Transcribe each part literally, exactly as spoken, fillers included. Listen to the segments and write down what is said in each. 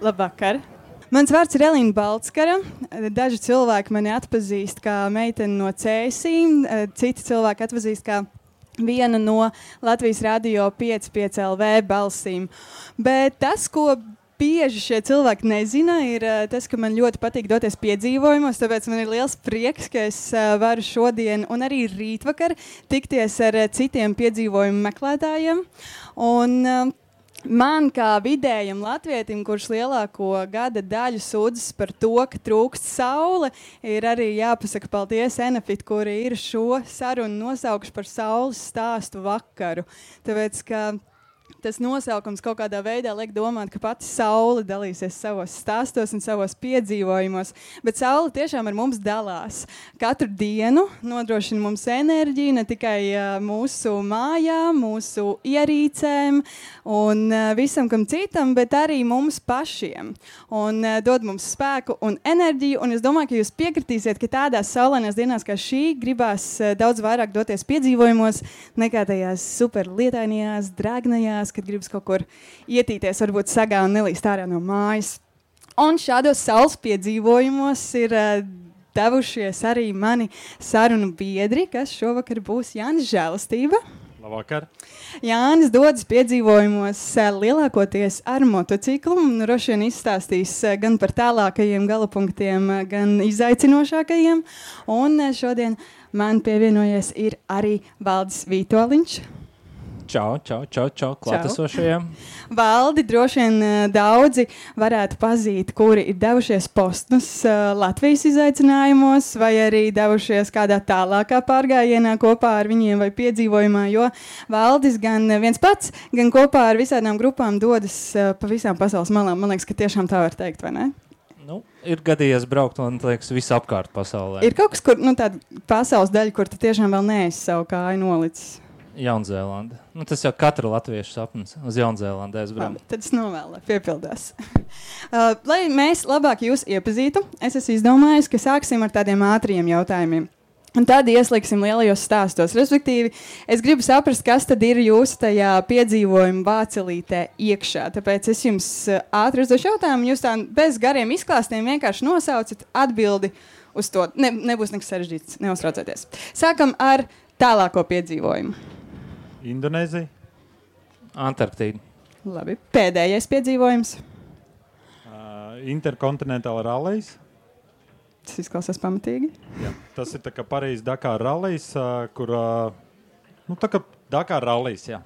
Labvakar! Mans vārds ir Elīna Baltskara. Daži cilvēki mani atpazīst kā meiteni no Cēsīm, citi cilvēki atpazīst kā viena no Latvijas radio pieci pieci L V balsīm. Bet tas, ko bieži šie cilvēki nezina, ir tas, ka man ļoti patīk doties piedzīvojumos, tāpēc man ir liels prieks, ka es varu šodien un arī rītvakar tikties ar citiem piedzīvojumu meklētājiem. Un man kā vidējam latvietim, kurš lielāko gada daļu sūdzas par to, ka trūkst saule, ir arī jāpasaka paldies Enefit, kuri ir šo sarunu nosaukuši par saules stāstu vakaru. Tāpēc, ka tas nosaukums kaut kādā veidā liek domāt, ka pati saule dalīsies savos stāstos un savos piedzīvojumos, bet saule tiešām ar mums dalās. Katru dienu nodrošina mums enerģiju, ne tikai uh, mūsu mājām, mūsu ierīcēm un uh, visam kam citam, bet arī mums pašiem. Un uh, dod mums spēku un enerģiju, un es domāju, ka jūs piekritīsiet, ka tādās saulainās dienās kā šī gribās uh, daudz vairāk doties piedzīvojumos nekā tajās super lietainajās, drēgnajās, kad gribas kaut kur ietīties, varbūt sagā un nelīst ārā no mājas. Un šādos saules piedzīvojumos ir uh, devušies arī mani sarunu biedri, kas šovakar būs Jānis Žēlastība. Labvakar. Jānis dodas piedzīvojumos uh, lielākoties ar motociklu un droši vien izstāstīs uh, gan par tālākajiem galapunktiem, uh, gan izaicinošākajiem. Un uh, šodien man pievienojies ir arī Valdis Vītoliņš. Čau, čau, čau, čau, klātesošajiem. Valdi droši vien uh, daudzi varētu pazīt, kuri ir devušies postus uh, Latvijas izaicinājumos vai arī devušies kādā tālākā pārgājienā kopā ar viņiem vai piedzīvojumā, jo Valdis gan viens pats, gan kopā ar visādām grupām dodas uh, pa visām pasaules malām. Man liekas, ka tiešām tā var teikt, vai ne? Nu, ir gadījies braukt, man liekas, visapkārt pasaulē. Ir kaut kas, kur, nu, tāda pasaules daļa, kur tu tiešām vēl neesi savu kāju nolicis. Jaunzēlanda. Nu, tas jau katra latviešu sapnis uz Jaunzēlandu aizbraukt. Tad es novēlu, lai piepildās. uh, lai mēs labāk jūs iepazītu, es esmu izdomājis, ka sāksim ar tādiem ātriem jautājumiem. Un tad ieslīgsim lielajos stāstos. Respektīvi, es gribu saprast, kas tad ir jūsu tajā piedzīvojuma vācelītē iekšā. Tāpēc es jums uh, ātri uzdošu jautājumu, jūs tā bez gariem izklāstiem vienkārši nosaucat atbildi uz to. Ne, nebūs nekas sarežģīts, neuztraucieties. Sākam ar tālāko piedzīvojumu. Indonēzija. Antarktīda. Labi. Pēdējais piedzīvojums. Uh, Interkontinentāla rallijas. Tas izklausās pamatīgi. Jā. Tas ir tā kā Parīzes Dakar rallijas, uh, kur, uh, nu tā kā Dakar rallijas, jā.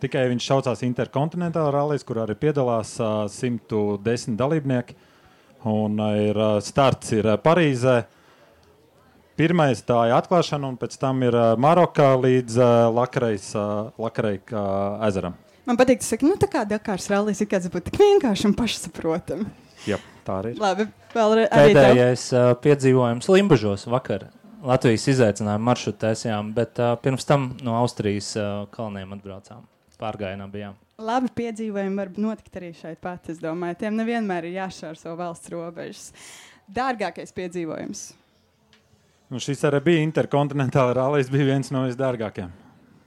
Tikai viņš saucās Interkontinentāla rallijas, kur arī piedalās uh, simt desmit dalībnieki. Un uh, ir, uh, starts ir uh, Parīzē. Pirmais tā ir atklāšana, un pēc tam ir uh, Maroka līdz uh, Lakarejas uh, Lakareja uh, ezeram. Man patīk, tu saki, nu tā kā Dakars rallis ir kāds būtu tik vienkārši un pašsaprotam. Jā, tā arī ir. Labi, vēl arī tev. Pēdējais uh, piedzīvojums Limbažos vakar. Latvijas izaicinājumu maršrutu taisījām, bet uh, pirms tam no Austrijas uh, kalniem atbraucām. Pārgājienā bijām. Labi piedzīvojumi var notikt arī šeit pat, es domāju. Tiem nevienmēr ir jāšķērso valsts robežas. Dārgākais piedzīvojums. Nu, šis arī bija Interkontinentāla rallijas, bija viens no visdārgākajiem.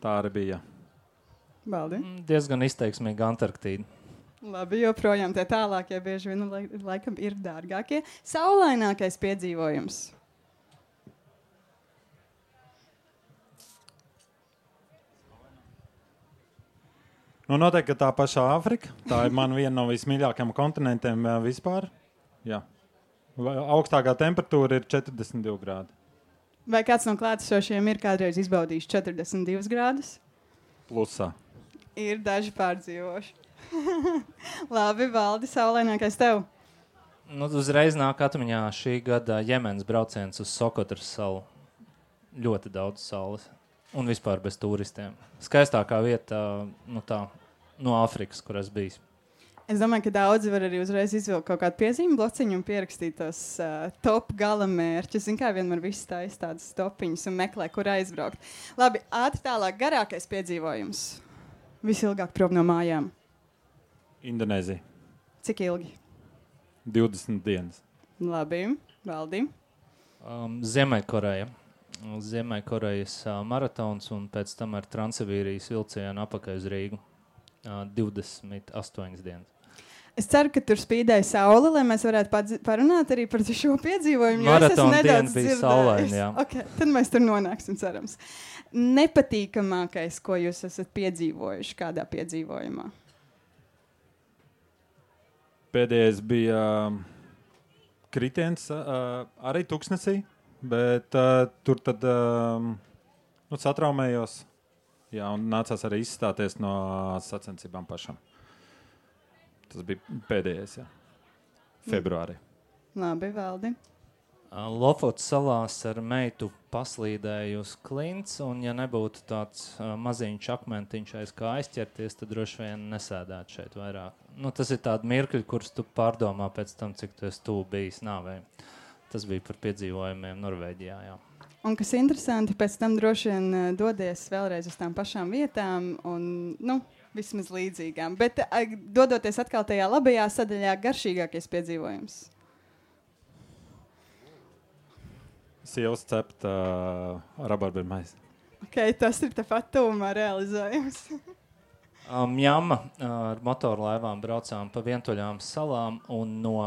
Tā arī bija. Baldi? Diezgan izteiksmīga Antarktīda. Labi, joprojām tie tālākie bieži vien laikam ir dārgākie. Saulainākais piedzīvojums. Nu, noteikti, ka tā pašā Āfrika. Tā ir man viena no vismīļākajiem kontinentiem vispār. Jā. Augstākā temperatūra ir četrdesmit divi grādi. Vai kāds no klātesošiem ir kādreiz izbaudījis četrdesmit divus grādus? Plusā. Ir daži pārdzīvoši. Labi, Valdi, saulainākais tev. Nu, uzreiz nāk atmiņā šī gada Jemenas brauciens uz Sokotras salu. Ļoti daudz saules. Un vispār bez turistiem. Skaistākā vieta nu tā, no Āfrikas, kur es biju. Es domāju, ka daudzi var arī uzreiz izvilkt kaut kādu piezīmi blociņu un pierakstīt tos uh, top gala mērķus. Zin kā vienmēr viss taisa tādas topiņas un meklē, kur aizbraukt. Labi, ātri tālāk, garākais piedzīvojums. Visilgāk prom no mājām. Indonēzija. Cik ilgi? divdesmit dienas. Labi, Valdi. Um, Ziemeļkoreja. Ziemeļkorejas uh, maratons un pēc tam ar Transsibīrijas vilcienu apakaļ uz Rīgu. Uh, divdesmit astoņas dienas. Es ceru, ka tur spīdēja saule, lai mēs varētu padzi- parunāt arī par šo piedzīvojumu. jo es esmu Maratona diena nedaudz bija dzirdējis. saulaina, jā. Okay, tad mēs tur nonāksim, cerams. Nepatīkamākais, ko jūs esat piedzīvojuši kādā piedzīvojumā? Pēdējais bija uh, kritiens uh, arī Tuksnesī, bet uh, tur tad uh, nu, satraumējos. Jā, un nācās arī izstāties no sacensībām pašam. Tas bija pēdējais, jā. Februārī. Labi, Valdi. Lofotas salās ar meitu paslīdēju uz klints, un ja nebūtu tāds uh, maziņš akmentiņš aiz kā aizķerties, tad droši vien nesēdētu šeit vairāk. Nu, tas ir tādi mirkļi, kurus tu pārdomā pēc tam, cik tu esi tuvu bijis nāvei. Tas bija par piedzīvojumiem Norvēģijā, jā. Un kas interesanti, pēc tam droši vien uh, dodies vēlreiz uz tām pašām vietām un, nu, vismaz līdzīgām. Bet uh, dodoties atkal tajā labajā sadaļā, garšīgākais piedzīvojums. Sievas cept uh, rabarberu maizi. Okay, tas ir tepat tuvumā realizējums. Um, Jamma uh, ar motorlaivām braucām pa vientuļām salām un no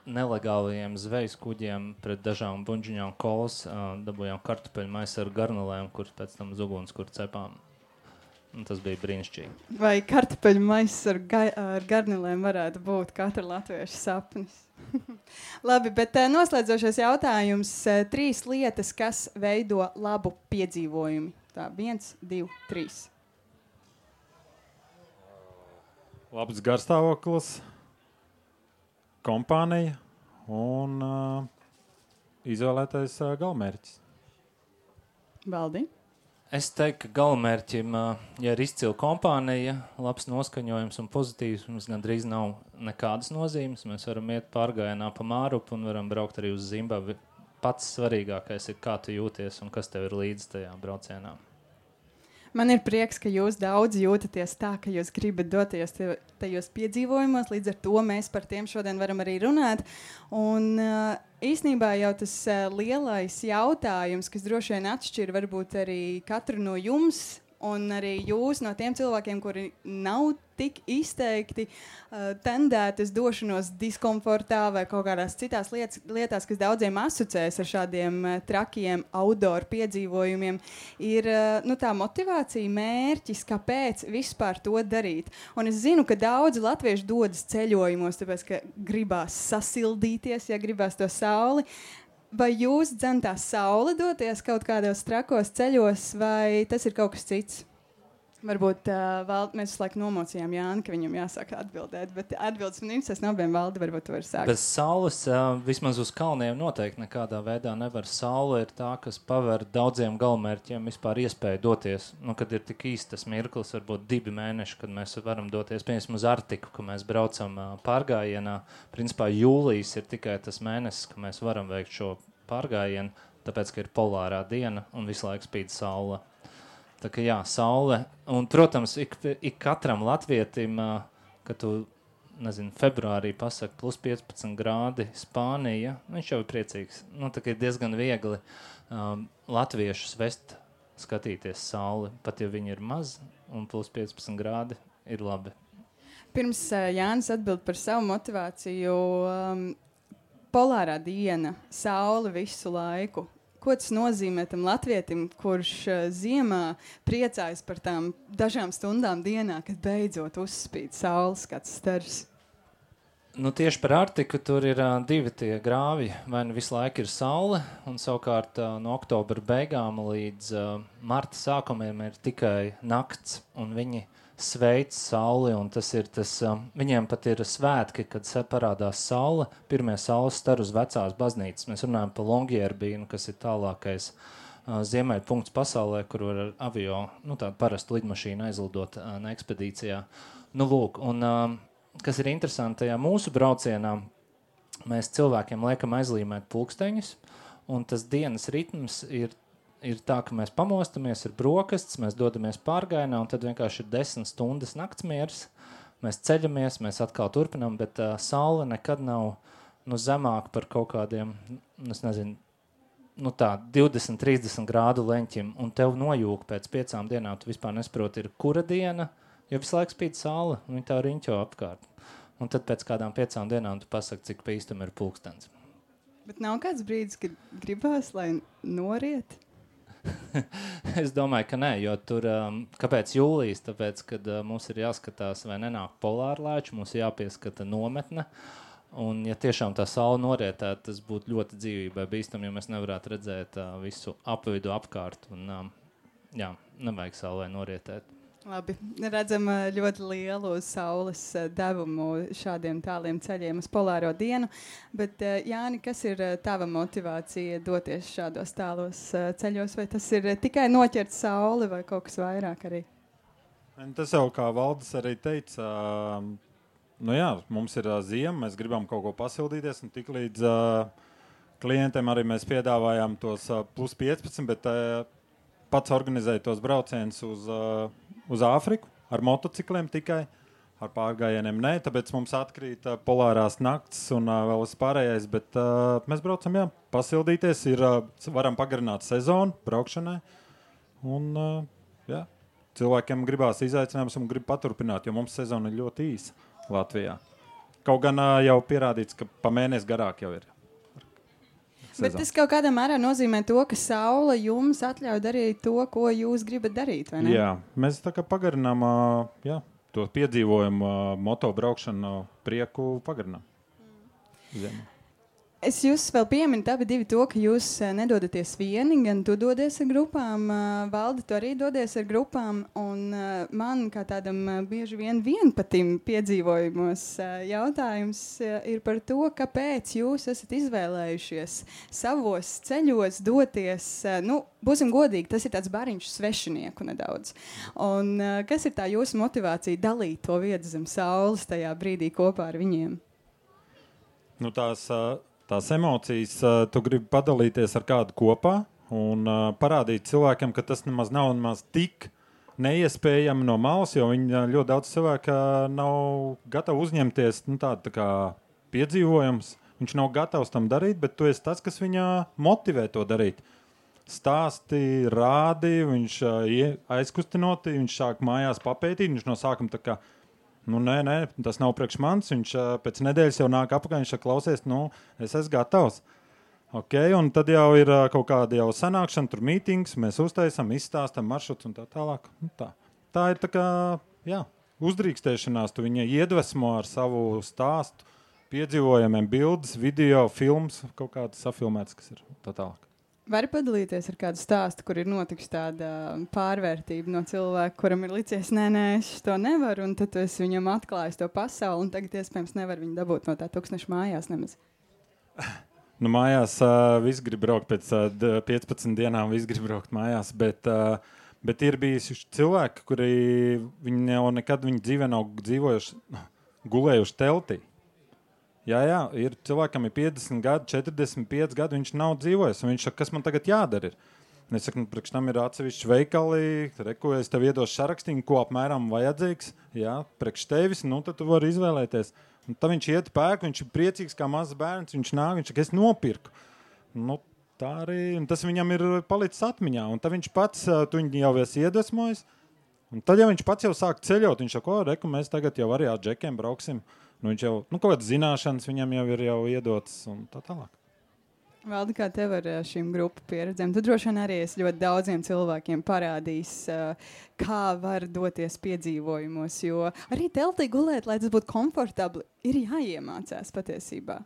nelegālajiem zvejas kuģiem pret dažām buņģiņām kolas uh, dabūjām kartupeļu maisu ar garnelēm, kuras pēc tam uz uguns, kur cepām. Un tas bija brīnišķīgi. Vai kartupeļu maiss ar, ga ar garnelēm varētu būt katra latvieša sapnis? Labi, bet uh, noslēdzošais jautājums. Uh, trīs lietas, kas veido labu piedzīvojumu. Tā, viens, divi, trīs. Labs garstāvoklis, kompānija un uh, izvēlētais uh, galmērķis. Valdi? Es teiktu, ka galamērķim, uh, ja ir izcila kompānija, labs noskaņojums un pozitīvs, mums gandrīz nav nekādas nozīmes. Mēs varam iet pārgājienā pa Mārupu un varam braukt arī uz Zimbabvi. Pats svarīgākais ir, kā tu jūties un kas tev ir līdzi tajā braucienā. Man ir prieks, ka jūs daudz jūtaties tā, ka jūs gribat doties te- tajos piedzīvojumos, līdz ar to mēs par tiem šodien varam arī runāt. Un uh, īsnībā jau tas uh, lielais jautājums, kas droši vien atšķir varbūt arī katru no jums, un arī jūs no tiem cilvēkiem, kuri nav tik izteikti uh, tendētas došanos diskomfortā vai kaut kādās citās lietas, lietās, kas daudziem asociēs ar šādiem uh, trakiem outdoor piedzīvojumiem, ir uh, nu, tā motivācija, mērķis, kāpēc vispār to darīt. Un es zinu, ka daudzi latvieši dodas ceļojumos, tāpēc, ka gribās sasildīties, ja gribās to sauli. Vai jūs dzentā saule doties kaut kādos trakos ceļos, vai tas ir kaut kas cits? Varbūt uh, Valdi, mēs visu laiku nomocījām Jāni, ka viņam jāsāk atbildēt, bet atbildes man interesēs no abiem. Valdi, varbūt tu vari sākt. Bez saules, uh, vismaz uz kalniem noteikti nekādā veidā nevar. Saule ir tā, kas paver daudziem galamērķiem vispār iespēju doties. Nu, kad ir tik īsti tas mirklis, varbūt divi mēneši, kad mēs varam doties, piemēram, uz Arktiku, ka mēs braucam uh, pārgājienā. Principā jūlijas ir tikai tas mēnesis, ka mēs varam veikt šo pārgājienu, tāpēc, ka ir polārā diena un visu laiku spīd saule. Tā kā jā, saule. Un, protams, ik, ik katram latvietim, kad tu, nezinu, februārī pasaka plus piecpadsmit grādi Spānija, viņš jau ir priecīgs. Nu, tā kā ir diezgan viegli um, latviešus vest skatīties sauli, pat ja viņi ir maz un plus piecpadsmit grādi ir labi. Pirms uh, Jānis atbild par savu motivāciju, um, polārā diena, saule visu laiku. Ko tas nozīmē tam latvietim, kurš uh, ziemā priecājas par tām dažām stundām dienā, kad beidzot uzspīd saules kāds stars? Nu, tieši par Arktiku tur ir uh, divi tie grāvi. Vai nu visu laiku ir saule, un savukārt uh, no oktobra beigām līdz uh, marta sākumiem ir tikai nakts, un viņi sveic sauli, un tas ir tas, um, viņiem pat ir svētki, kad parādās saule, pirmie saules stari uz vecās baznīcas. Mēs runājam par Longyearbīnu, kas ir tālākais uh, ziemeļu punkts pasaulē, kur var ar avio, nu tādu parastu lidmašīnu aizlidot uh, ne ekspedīcijā. Nu lūk, un um, kas ir interesanti, tajā mūsu braucienā mēs cilvēkiem liekam aizlīmēt pulksteņus, un tas dienas ritms ir ir tā, ka mēs pamostamies, ir brokastis, mēs dodamies pārgājienā, un tad vienkārši ir desmit stundas naktsmieris. Mēs ceļamies, mēs atkal turpinām, bet uh, saule nekad nav nu, zemāk par kaut kādiem, es nezinu, nu tā, divdesmit trīsdesmit grādu leņķim, un tev nojūk pēc piecām dienām, tu vispār nesaproti, ir kura diena, jo visu laiku spīd saule, un viņi tā riņķo apkārt. un tad pēc kādām piecām dienām tu pasaki, cik pa īstam ir pulkstens. Bet nav kāds brīdis, kad gribās, lai noriet? Es domāju, ka nē, jo tur, um, kāpēc jūlijas? Tāpēc, kad uh, mums ir jāskatās, vai nenāk polārlaiči, mums ir jāpieskata nometne, un ja tiešām tā saule norietētu, tas būtu ļoti dzīvībai bīstam, jo mēs nevarētu redzēt uh, visu apvidu apkārt, un um, jā, nevajag saulē norietēt. Labi, redzam uh, ļoti lielu saules uh, devumu šādiem tāliem ceļiem uz polāro dienu, bet uh, Jāni, kas ir uh, tava motivācija doties šādos tālos uh, ceļos, vai tas ir uh, tikai noķert sauli vai kaut kas vairāk arī? Tas jau kā Valdis arī teica, uh, nu jā, mums ir uh, ziema, mēs gribam kaut ko pasildīties, un tik līdz uh, klientiem arī mēs piedāvājām tos uh, plus piecpadsmit, bet uh, pats organizēja tos braucienus uz uh, uz Āfriku, ar motocikliem tikai, ar pārgājieniem nē, tāpēc mums atkrīt uh, polārās nakts un uh, vēl uz pārējais, bet uh, mēs braucam, jā, pasildīties, ir, uh, varam pagarināt sezonu braukšanai, un uh, jā, cilvēkiem gribās izaicinājums un grib paturpināt, jo mums sezona ir ļoti īsa Latvijā. Kaut gan uh, jau pierādīts, ka pa mēnesi garāk jau ir. Sezonu. Bet tas kaut kādā mērā nozīmē to, ka saule jums atļauj darīt to, ko jūs gribat darīt, vai ne? Jā, mēs tā kā pagarinām jā, to piedzīvojumu motobraukšanu prieku pagarinām. Mm. Es jūs vēl pieminu abi divi to, ka jūs nedodaties vieni, gan tu dodies ar grupām, Valdi, tu arī dodies ar grupām, un man kā tādam bieži vien vienpatim piedzīvojumos jautājums ir par to, kāpēc jūs esat izvēlējušies savos ceļos doties, nu, būsim godīgi, tas ir tāds bariņš svešinieku nedaudz. Un kas ir tā jūsu motivācija dalīt to vietu zem saules tajā brīdī kopā ar viņiem? Nu, tās... Tās emocijas, uh, tu gribi padalīties ar kādu kopā un uh, parādīt cilvēkiem, ka tas nemaz nav nemaz tik neiespējami no malas, jo viņi uh, ļoti daudz cilvēku uh, nav gatavi uzņemties nu, tādu tā kā piedzīvojums. Viņš nav gatavs tam darīt, bet tu esi tas, kas viņā motivē to darīt. Stāsti, rādi, viņš uh, aizkustinoti, viņš sāk mājās papētīt, viņš no sākuma tā kā nu, nē, nē, tas nav priekš manis. Viņš uh, pēc nedēļas jau nāk apakaļ, viņš saka, klausies, nu, es esmu gatavs. Ok, un tad jau ir uh, kaut kāda jau sanākšana, tur mītings, mēs uztaisam, izstāstam maršruts un tā tālāk. Nu, tā. tā ir tā kā, jā, uzdrīkstēšanās, tu viņai iedvesmo ar savu stāstu, piedzīvojumiem, bildes, video, films, kaut kādas safilmētas, kas ir tā tālāk. Vari padalīties ar kādu stāstu, kur ir notikusi tāda pārvērtība no cilvēka, kuram ir licies, nē, nē, es to nevaru, un tad tu esi viņam atklājis to pasauli, un tagad iespējams nevar viņu dabūt no tā tūkstneša mājās nemaz. Nu, mājās uh, viss grib braukt pēc uh, piecpadsmit dienām, viss grib braukt mājās, bet, uh, bet ir bijuši cilvēki, kuri viņi jau nekad viņa dzīvē nav dzīvojuši, gulējuši teltī. Jā, jā, ir cilvēkam ir piecdesmit gadi, četrdesmit pieci gadi, viņš nav dzīvojis, un viņš saka, kas man tagad jādara ir. Un es saku, nu, priekš tam ir atsevišķi veikali, reku, es tev iedošu sarakstīnu, ko apmēram vajadzīgs, jā, priekš tevis, nu, tad tu vari izvēlēties. Un tad viņš iet pēk, viņš ir priecīgs kā mazs bērns, viņš nāk, viņš saka, es nopirku. Nu, tā arī, un tas viņam ir palicis atmiņā, un tad viņš pats, tu viņu jau esi iedvesmojis, un tad, ja viņš pats jau sāk ceļot, viņš saka, o, reku, mēs tagad jau arī ar džekiem brauksim. Nu, viņš jau, nu, kaut kādas zināšanas viņam jau ir jau iedotas un tā tālāk. Valdi, kā tev ar šīm grupu pieredzēm? Tu droši vien arī esi ļoti daudziem cilvēkiem parādījis, kā var doties piedzīvojumos, jo arī teltī gulēt, lai tas būtu komfortabli, ir jāiemācās patiesībā.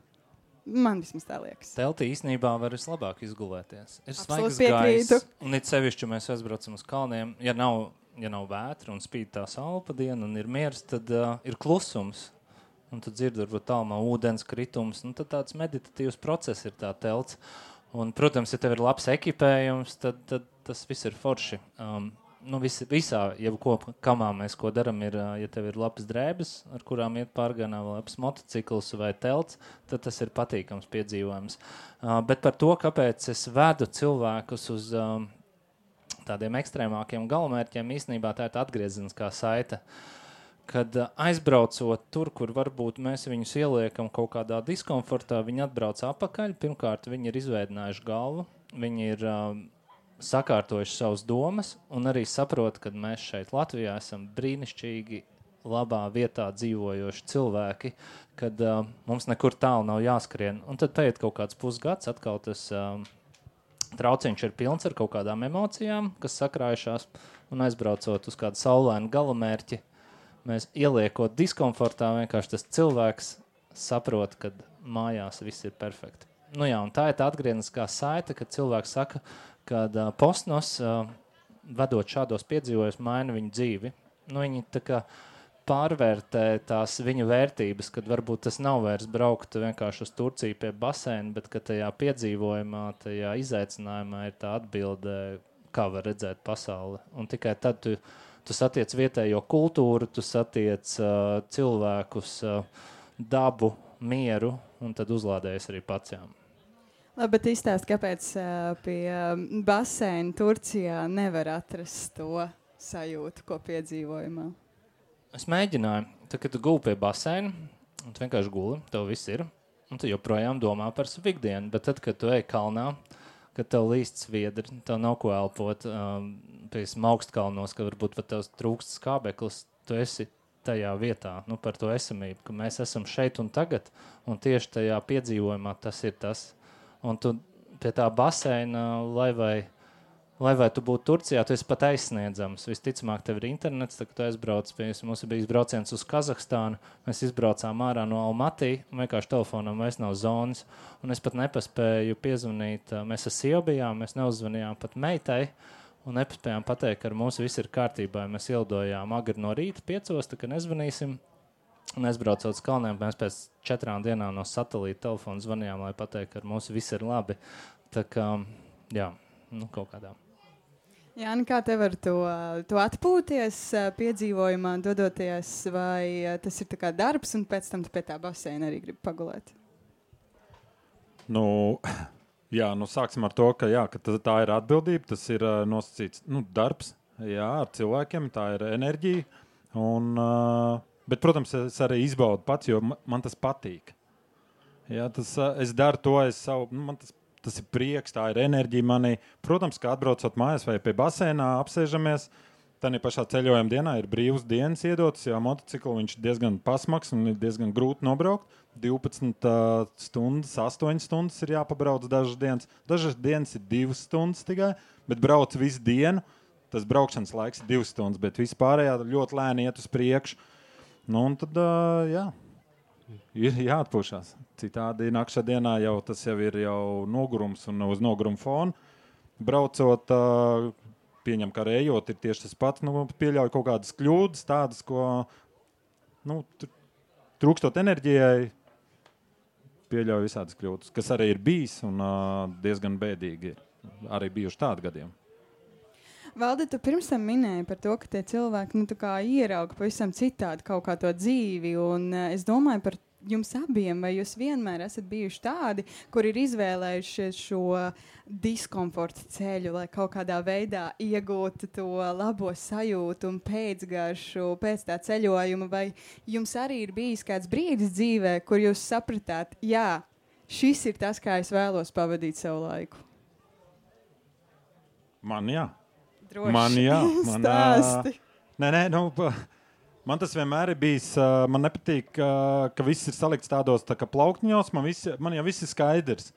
Man vismaz tā liekas. Teltī īstenībā var vislabāk izgulēties. Ir svaigs piekrītu. gaiss, un it sevišķi mēs aizbraucam uz kalniem. Ja nav, ja nav vētra un spīd tā saule pa dienu un ir miers, tad uh, ir klusums. Un tu dzirdi, varbūt tālumā ūdens kritums, nu tad tāds meditatīvs process ir tā telts. Un, protams, ja tev ir labs ekipējums, tad, tad tas viss ir forši. Um, nu, vis, visā, jebko, kamā mēs ko daram, ir, ja tev ir labas drēbes, ar kurām iet pārgānā, vai labs motocikls vai telts, tad tas ir patīkams piedzīvojums. Uh, bet par to, kāpēc es vedu cilvēkus uz um, tādiem ekstrēmākiem galamērķiem, īstenībā tā ir tā atgriezeniskā saite. Kad aizbraucot tur, kur varbūt mēs viņus ieliekam kaut kādā diskomfortā, viņi atbrauc apakaļ. Pirmkārt, viņi ir izveidinājuši galvu, viņi ir uh, sakārtojuši savas domas un arī saprot, ka mēs šeit Latvijā esam brīnišķīgi labā vietā dzīvojoši cilvēki, kad uh, mums nekur tālu nav jāskrien. Un tad paiet kaut kāds pusgads, atkal tas uh, trauciņš ir pilns ar kaut kādām emocijām, kas sakrājušās, un aizbraucot uz kādu saulainu galamērķi, mēs ieliekot diskomfortā, vienkārši tas cilvēks saprot, ka mājās viss ir perfekti. Nu jā, un tā ir tā atgriezniskā saite, kad cilvēks saka, ka uh, Postnos, uh, vedot šādos piedzīvojumos, maina viņu dzīvi. Nu, viņi tā kā pārvērtē tās viņa vērtības, kad varbūt tas nav vairs braukt vienkārši uz Turciju pie baseina, bet ka tajā piedzīvojumā, tajā izaicinājumā ir tā atbilde, kā var redzēt pasauli. Un tikai tad tu, tu satiec vietējo kultūru, tu satiec uh, cilvēkus, uh, dabu, mieru, un tad uzlādējas arī pacām. Labi, bet izstāst, kāpēc uh, pie uh, baseina Turcijā nevar atrast to sajūtu, ko piedzīvojumā? Es mēģināju, tad, kad tu guli pie baseina, un tu vienkārši guli, tev viss ir, un tu joprojām domā par savu ikdienu, bet tad, kad tu ej kalnā, kad tev līst sviedri, tev nav ko elpot, um, pie augstkalnos, ka varbūt pat tev trūkst skābeklis, tu esi tajā vietā, nu par to esamību, ka mēs esam šeit un tagad, un tieši tajā piedzīvojumā tas ir tas. Un tu pie tā baseina, lai vai Lai vai tu būtu Turcijā, tu esi pat aizsniedzams. Visticamāk, tev ir internets, tad tu aizbrauc, pie mums ir bijis brauciens uz Kazahstānu, mēs izbraucām ārā no Almatī, un vienkārši telefonam vairs nav zonas, un es pat nepaspēju piezvanīt, mēs ar sievu bijām, mēs neuzzvanījām pat meitai, un nepaspējām pateikt, ka ar mums viss ir kārtībā, mēs ielidojām agri no rīta piecos, tā ka nezvanīsim, un aizbraucot uz kalniem, mēs pēc četrām dienām no satelīta telefona zvanījām, lai pateikt, ka ar mums viss ir labi. Tā kā, jā, nu kaut kādā. Jāni, kā tev ar to, to atpūties piedzīvojumā, dodoties, vai tas ir tā kā darbs, un pēc tam tu pie tā baseina arī gribi pagulēt? Nu, jā, nu sāksim ar to, ka, jā, ka tā ir atbildība, tas ir uh, nosacīts nu, darbs, jā, ar cilvēkiem, tā ir enerģija, un, uh, bet, protams, es arī izbaudu pats, jo man tas patīk. Jā, tas, uh, es daru to, es savu, nu, man tas Tas ir prieks, tā ir enerģija manī. Protams, kā atbraucot mājās vai pie basēnā, apsēžamies, tad pašā ceļojuma dienā ir brīvas dienas iedotas, jo motociklu viņš diezgan pasmaks un ir diezgan grūti nobraukt. divpadsmit uh, stundas, astoņas stundas ir jāpabrauc dažas dienas. Dažas dienas ir divas stundas tikai, bet brauc visu dienu. Tas braukšanas laiks ir divas stundas, bet vispārējā ļoti lēni iet uz priekšu. Nu, un tad, uh, jā. Ir jāatpūšās. Citādi nakšā dienā jau tas jau ir jau nogurums un uz noguruma fona. Braucot, pieņem, ka ejot ir tieši tas pats, nu, pieļauj kaut kādas kļūdas, tādas, ko, nu, trūkstot enerģijai, pieļauj visādas kļūdas, kas arī ir bijis un diezgan bēdīgi ir. Arī bijuši tādi gadiem. Valdi, tu pirms tam minēji par to, ka tie cilvēki nu, tā kā ierauga pavisam citādi kaut kā to dzīvi, un uh, es domāju par jums abiem, vai jūs vienmēr esat bijuši tādi, kur ir izvēlējušies šo diskomforta ceļu, lai kaut kādā veidā iegūtu to labo sajūtu un pēcgaršu pēc tā ceļojuma, vai jums arī ir bijis kāds brīdis dzīvē, kur jūs sapratāt, jā, šis ir tas, kā es vēlos pavadīt savu laiku? Man jā. Droši. Man jā, man, Stāsti. Nē, nē, nu, man tas vienmēr ir bijis, man nepatīk, ka viss ir salikts tādos tā kā plauktiņos, man, visi, man jau viss ir skaidrs.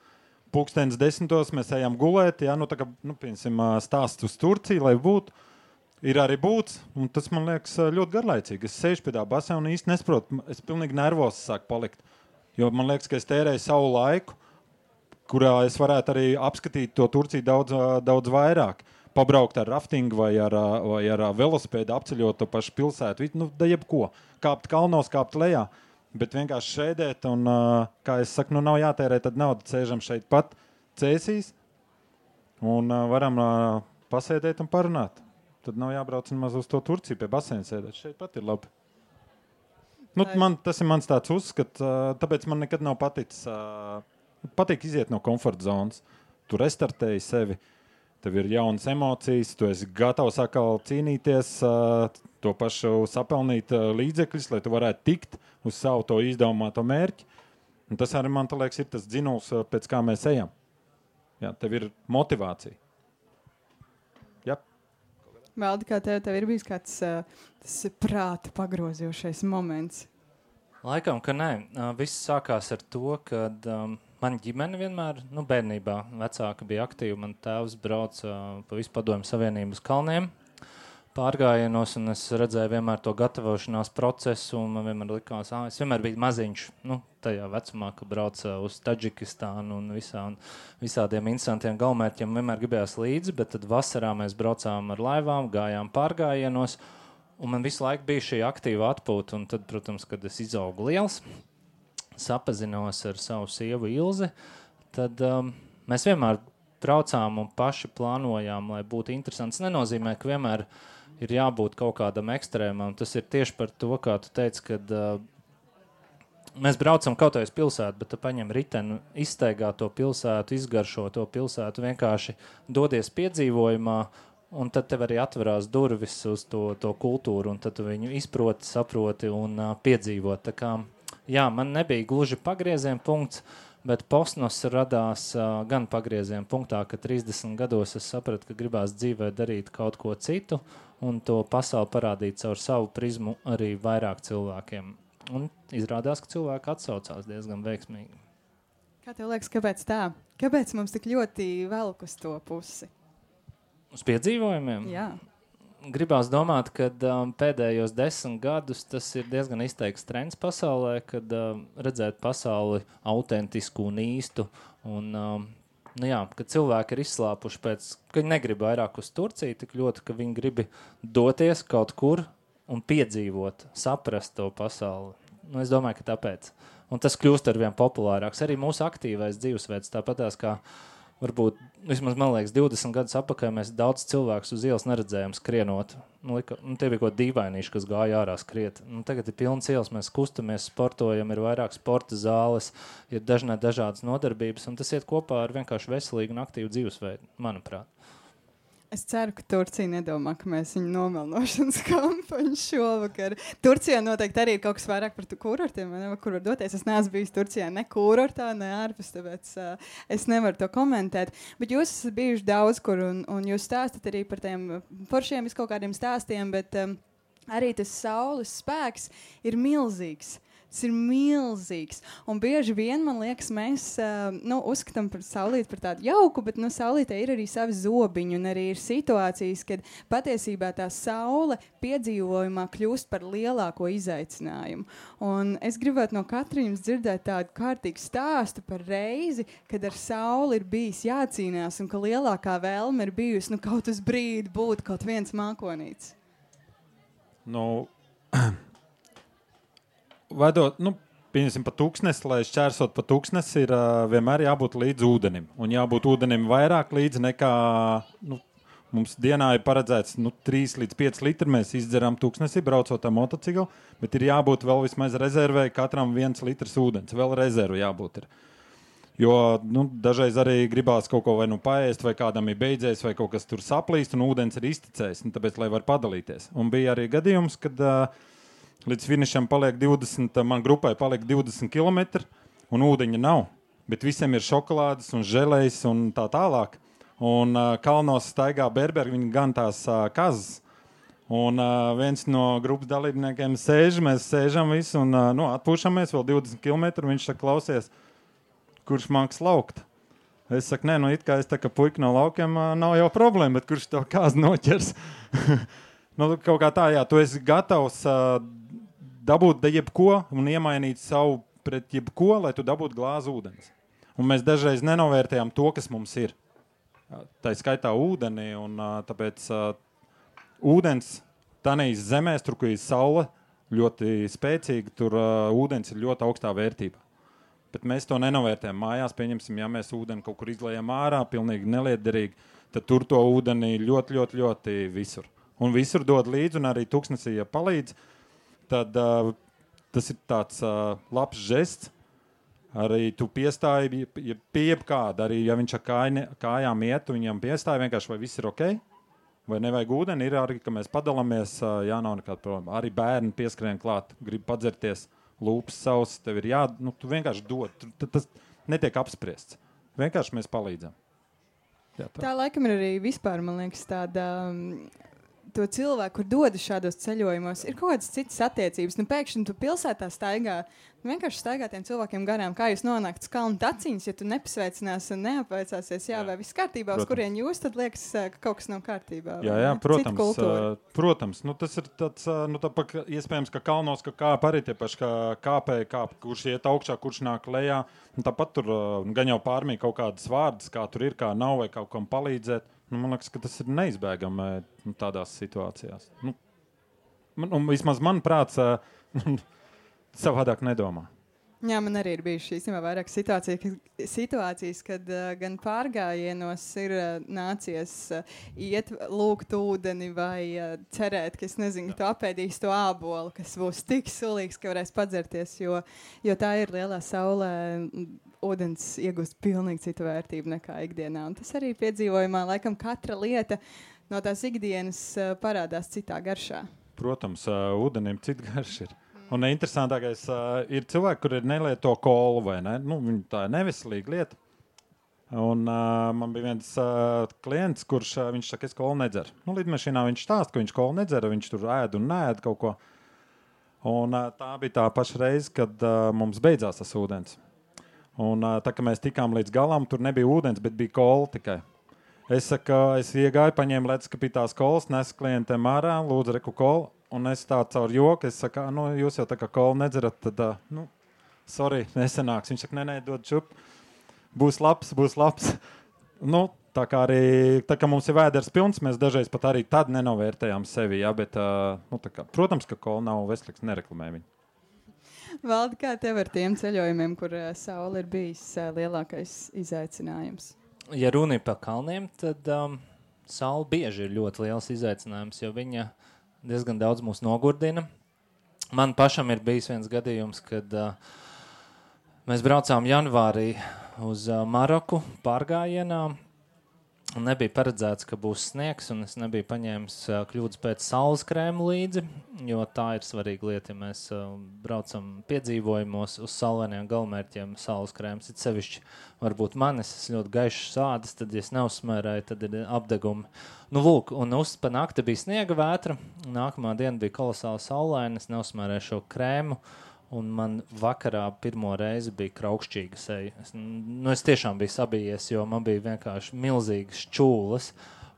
Pūkstens desmitos mēs ejam gulēt, jā, nu tā kā, nu, piemēram, stāsts uz Turciju, lai būtu, ir arī būts, un tas man liekas ļoti garlaicīgi. Es sēžu pie tā basē un īsti nesaprotu, es pilnīgi nervos sāku palikt, jo man liekas, ka es tērēju savu laiku, kurā es varētu arī apskatīt to Turciju daudz, daudz vairāk. Pabraukt ar raftingu vai ar, vai ar velosipēdu, apceļot to pašu pilsētu, nu, da jebko. Kāpt kalnos, kāpt lejā, bet vienkārši šēdēt un, kā es saku, nu nav jātērē tad naudu, sēžam šeit pat Cēsīs un varam pasēdēt un parunāt. Tad nav jābrauc nemaz uz to Turciju pie baseina sēdēt. Šeit pat ir labi. Nu, man, tas ir mans tāds uzskats, tāpēc man nekad nav paticis, patīk iziet no komforta zonas. Tu restartēji sevi. Tev ir jaunas emocijas, tu esi gatavs atkal cīnīties, to pašu sapelnīt līdzekļus, lai tu varētu tikt uz savu to izdomāto mērķi. Un tas arī, man liekas, ir tas dzinuls, pēc kā mēs ejam. Jā, tev ir motivācija. Jā. Valdi, kā tev, tev ir bijis kāds uh, tas prāta pagrozījušais moments? Laikam, ka nē. Uh, viss sākās ar to, kad um, man ģimene vienmēr, nu, bērnībā vecāka bija aktīva. Man tēvs brauca uh, pa visu Padomju Savienību uz kalniem pārgājienos, un es redzēju vienmēr to gatavošanās procesu, un man vienmēr likās, ah, es vienmēr biju maziņš, nu, tajā vecumā, kad brauca uz Tadžikistānu un, visā, un visādiem interesantiem galamērķiem vienmēr gribējās līdzi, bet tad vasarā mēs braucām ar laivām, gājām pārgājienos, un man visu laiku bija šī aktīva atpūta, un tad, protams, kad es izaugu liels, sapazinos ar savu sievu Ilzi, tad um, mēs vienmēr braucām un paši plānojām, lai būtu interesants. Tas nenozīmē, ka vienmēr ir jābūt kaut kādam ekstrēmam. Tas ir tieši par to, kā tu teici, kad uh, mēs braucam kaut vai uz pilsētu, bet tu paņem riteni, izsteigā to pilsētu, izgaršo to pilsētu, vienkārši dodies piedzīvojumā, un tad tev arī atverās durvis uz to, to kultūru, un tad tu viņu izproti, saproti un uh, piedzīvot. Tā kā, jā, man nebija gluži pagrieziena punkts, bet Posnos radās uh, gan pagrieziena punktā, ka trīsdesmit gados es sapratu, ka gribās dzīvē darīt kaut ko citu un to pasauli parādīt caur savu prizmu arī vairāk cilvēkiem. Un izrādās, ka cilvēki atsaucās diezgan veiksmīgi. Kā tev liekas, kāpēc tā? Kāpēc mums tik ļoti velk uz to pusi? Uz piedzīvojumiem? Jā. Gribās domāt, ka um, pēdējos desmit gadus tas ir diezgan izteikts trends pasaulē, kad um, redzēt pasauli autentisku un īstu. Un, um, nu jā, kad cilvēki ir izslāpuši pēc, ka viņi negrib vairāk uz Turciju, tik ļoti, ka viņi grib doties kaut kur un piedzīvot, saprast to pasauli. Nu, es domāju, ka tāpēc. Un tas kļūst arvien populārāks. Arī mūsu aktīvais dzīvesveids, tāpatās kā varbūt, vismaz man liekas, divdesmit gadus apakaļ mēs daudz cilvēkus uz ielas neredzējām skrienot. Nu, lika, nu, tie bija kaut dīvainīši, kas gāja ārā skriet. Nu, tagad ir pilns ielas, mēs kustamies, sportojam, ir vairāk sporta zāles, ir dažnā dažādas nodarbības, un tas iet kopā ar vienkārši veselīgu un aktīvu dzīvesveidu, manuprāt. Es ceru, ka Turcija nedomā, ka mēs viņu nomelnošanas kampaņu šovakar. Turcijā noteikti arī ir kaut kas vairāk par kurortiem, ne, kur var doties. Es neesmu bijis Turcijā ne kurortā, ne ārpus, tāpēc uh, es nevaru to komentēt. Bet jūs esat bijuši daudz kur, un, un jūs stāstat arī par tiem foršiem viskaut kādiem stāstiem, bet um, arī tas saules spēks ir milzīgs. Tas ir milzīgs. Un bieži vien, man liekas, mēs uh, nu, uzskatām par saulīti par tādu jauku, bet nu, saulītē ir arī savi zobiņi. Un arī ir situācijas, kad patiesībā tā saule piedzīvojumā kļūst par lielāko izaicinājumu. Un es gribētu no katra jums dzirdēt tādu kārtīgu stāstu par reizi, kad ar sauli ir bijis jācīnās un ka lielākā vēlme ir bijusi nu, kaut uz brīdi būt kaut viens mākonīts. Nu... Vedot, nu, pieņemsim pa tūkstnesi, lai šķērsot pa tūkstnesi, ir uh, vienmēr jābūt līdz ūdenim. Un jābūt ūdenim vairāk līdz nekā, nu, mums dienā ir paredzēts, nu, trīs līdz pieci litri mēs izdzeram tūkstnesi, braucot ar motociklu, bet ir jābūt vēl vismaz rezervēji katram viens litrs ūdens, vēl rezervu jābūt ir. Jo, nu, dažreiz arī gribās kaut ko vai nu paēst, vai kādam ir beidzies, vai kaut kas tur saplīst, un ūdens ir izticējis, un tāpēc, lai var padalīties. Un bija arī gadījums, kad uh, līdz finišam paliek divdesmit, man grupai paliek divdesmit kilometri, un ūdeņa nav. Bet visiem ir šokolādes un želejs un tā tālāk. Un uh, kalnos staigā berbergi, viņi gan tās uh, kazas. Un uh, viens no grupas dalībniekiem sēž, mēs sēžam visu un uh, nu, atpūšamies vēl divdesmit kilometri. Viņš saka, klausies, kurš māks laukt? Es saku, nē, nu it kā es tā kā puika no laukiem uh, nav jau problēma, bet kurš to kāzu noķers? Nu, kaut kā tā, jā, tu esi gatavs uh, dabūt jebko un iemainīt savu pret jebko, lai tu dabūtu glāzi ūdens. Un mēs dažreiz nenovērtējam to, kas mums ir. Tā skaitā ūdeni, un uh, tāpēc uh, ūdens tanīs zemēs, tur, kur ir saule ļoti spēcīga, tur uh, ūdens ir ļoti augstā vērtībā. Bet mēs to nenovērtējam mājās, pieņemsim, ja mēs ūdeni kaut kur izlējam ārā, pilnīgi nelietderīgi, tad tur to ūdeni ļoti, ļoti, ļoti visur. Un visur dod līdzi, un arī tūkstnesī, ja palīdz, tad uh, tas ir tāds uh, labs žests. Arī tu piestāji ja pie jebkāda, arī ja viņš ar kāj, kājām iet, viņam piestāji vienkārši, vai viss ir ok, vai nevajag ūdeni, ir arī, ka mēs padalāmies, uh, jā, nav nekāda problēma. Arī bērni pieskrien klāt, grib padzerties, lūpas savs, tev ir jā, nu, tu vienkārši dod, tu, tas netiek apspriests. Vienkārši mēs palīdzam. Jā, tā. tā laikam ir arī vispār, man liekas, tāda... Um, to cilvēku, kur dodas šādos ceļojumos, ir kaut kādas citas attiecības. Nu, pēkšņi tu pilsētā staigā, nu, vienkārši staigā tiem cilvēkiem garām, kā jūs nonākt uz kalnu taciņas, ja tu nepasveicinās un neapveicāsies, jā, jā. vai viss kārtībā, protams. Uz kurien jūs, tad liekas, ka kaut kas nav kārtībā. Jā, jā, protams, uh, protams. Nu, tas ir tāds, uh, nu, tā, pa, iespējams, ka kalnos, ka kāp arī tie paši, kā kāpēji kāp, kurš iet augšā, kurš nāk lejā, un tāpat tur uh, gan jau pārmī kaut kādas vārdas, kā tur ir, kā nav, vai kaut kam palīdzēt. Nu, man liekas, ka tas ir neizbēgami nu, tādās situācijās. Nu, man, un vismaz man prāts uh, savādāk nedomā. Jā, man arī ir bijušas īstenībā vairāk situācijas, situācijas kad uh, gan pārgājienos ir uh, nācies uh, iet lūgt ūdeni vai uh, cerēt, ka es nezinu, ka tu apēdīsi to ābolu, kas būs tik sulīgs, ka varēs padzerties, jo, jo tā ir lielā saulē. Ūdens iegūst pilnīgi citu vērtību nekā ikdienā. Un tas arī piedzīvojumā, laikam, katra lieta no tās ikdienas uh, parādās citā garšā. Protams, uh, ūdenim cita garša ir. Un interesantākais uh, ir cilvēki, kuri nelieto kolu, vai ne? Nu, tā ir neveselīga lieta. Un uh, man bija viens uh, klients, kurš uh, viņš saka, es kolu nedzeru. Nu, lidmašīnā viņš stāsta, ka viņš kolu nedzera, viņš tur ēd un nēd kaut ko. Un uh, tā bija tā paša reize, kad uh, mums beidzās tas ūdens. Un tā, kad mēs tikām līdz galam, tur nebija ūdens, bet bija kola tikai. Es saku, es iegāju, paņēmu ledskapītās kolas, nesu klientiem ārā, lūdzu reku kolu, un es tā caur joku, es saku, nu, jūs jau tā kā kolu nedzerat, tad, nu, sorry, nesanāks. Viņš saka, nē, nē, dod čup, būs labs, būs labs. Nu, tā kā arī, tā kā mums ir vēders pilns, mēs dažreiz pat arī tad nenovērtējām sevi, jā, bet, nu, tā kā, protams, ka kola nav veselīgs, nereklamē viņu. Valdi, kā tev ar tiem ceļojumiem, kur uh, saule ir bijis uh, lielākais izaicinājums? Ja runa ir par kalniem, tad um, saule bieži ir ļoti liels izaicinājums, jo viņa diezgan daudz mūs nogurdina. Man pašam ir bijis viens gadījums, kad uh, mēs braucām janvārī uz uh, Maroku pārgājienā. Un nebija paredzēts, ka būs sniegs, un es nebiju paņēmis uh, kļūdas pēc saules krēmu līdzi, jo tā ir svarīga lieta, ja mēs uh, braucam piedzīvojumos uz saulainiem galamērķiem saules krēms. It sevišķi varbūt manis, es ļoti gaišs ādas, tad, ja es neuzsmērēju, tad ir apdegumi. Nu, lūk, un uz pa nakti bija sniega vētra, nākamā diena bija kolosāla saulaina, es neuzsmērēju šo krēmu, un man vakarā pirmo reizi bija kraukšķīga seja. Es, nu, es tiešām biju sabijies, jo man bija vienkārši milzīgas čūlas,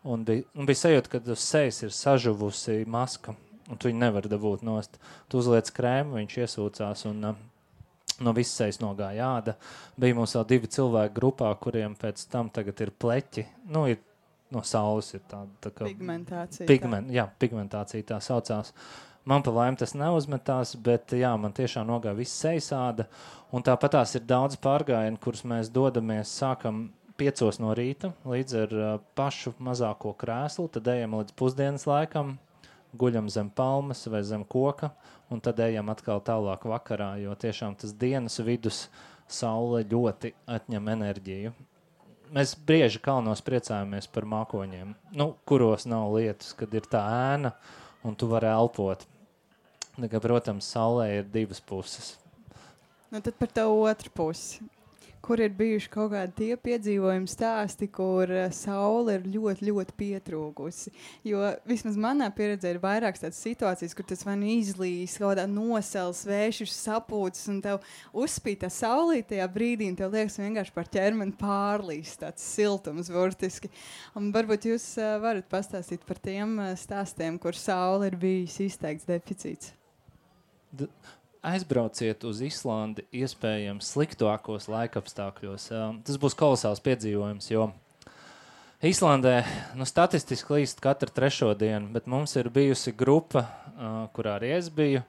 un bija, un bija sajūta, ka uz sejas ir sažuvusi maska, un tu viņu nevar dabūt nost. Tu uzliec krēmu, viņš iesūcās, un uh, no visas sejas nogāja āda. Bija mums vēl divi cilvēki grupā, kuriem pēc tam tagad ir pleķi. Nu, ir, no saules ir tāda tā kā... Pigmentācija. Pigment, jā, pigmentācija tā saucās. Man pa laimi tas neuzmetās, bet jā, man tiešām nogāja viss sejas, un tāpatās ir daudz pārgājienu, kurus mēs dodamies, sākam piecos no rīta līdz ar uh, pašu mazāko krēslu, tad ejam līdz pusdienas laikam, guļam zem palmas vai zem koka, un tad ejam atkal tālāk vakarā, jo tiešām tas dienas vidus saule ļoti atņem enerģiju. Mēs brieži kalnos priecājamies par mākoņiem, nu, kuros nav lietas, kad ir tā ēna, un tu vari elpot. Nekā, protams, saulē ir divas puses. Nu, tad par tavu otru pusi. Kur ir bijuši kaut kādi tie piedzīvojumi stāsti, kur uh, saule ir ļoti, ļoti pietrūkusi. Jo vismaz manā pieredzē ir vairākas tādas situācijas, kur tas vai nu izlīs, kaut kādā nosels, vēšus, sapūtas, un tev uzspīd tā saulīt tajā brīdī, un tev liekas vienkārši par ķermeni pārlīst, tāds siltums burtiski. Un varbūt jūs uh, varat pastāstīt par tiem uh, stāstiem, kur saule ir bijis izteikts deficīts. D- Aizbrauciet uz Islandi iespējams sliktākos laikapstākļos. Tas būs kolosāls piedzīvojums, jo Islandē nu, statistiski līst katru trešo dienu, bet mums ir bijusi grupa, kurā arī es biju,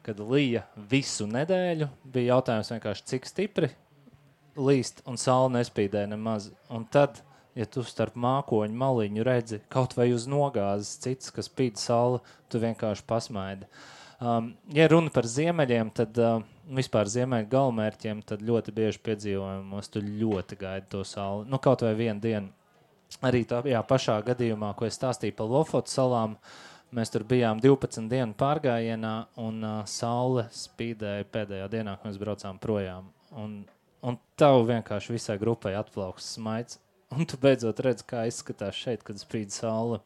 kad lija visu nedēļu. Bija jautājums vienkārši, cik stipri līst, un saule nespīdēja nemaz. Un tad, ja tu starp mākoņu maliņu redzi kaut vai uz nogāzes cits, kas spīd saule, tu vienkārši pasmaidi. Um, ja runa par ziemeļiem, tad uh, vispār ziemeļu galamērķiem, tad ļoti bieži piedzīvojumos tu ļoti gaidi to sauli. Nu, kaut vai vienu dienu. Arī tā jā, pašā gadījumā, ko es stāstīju par Lofotu salām, mēs tur bijām divpadsmit dienu pārgājienā, un uh, saule spīdēja pēdējā dienā, kad mēs braucām projām. Un, un tev vienkārši visai grupai atplauks smaids. Un tu beidzot redz, kā izskatās šeit, kad spīd saule.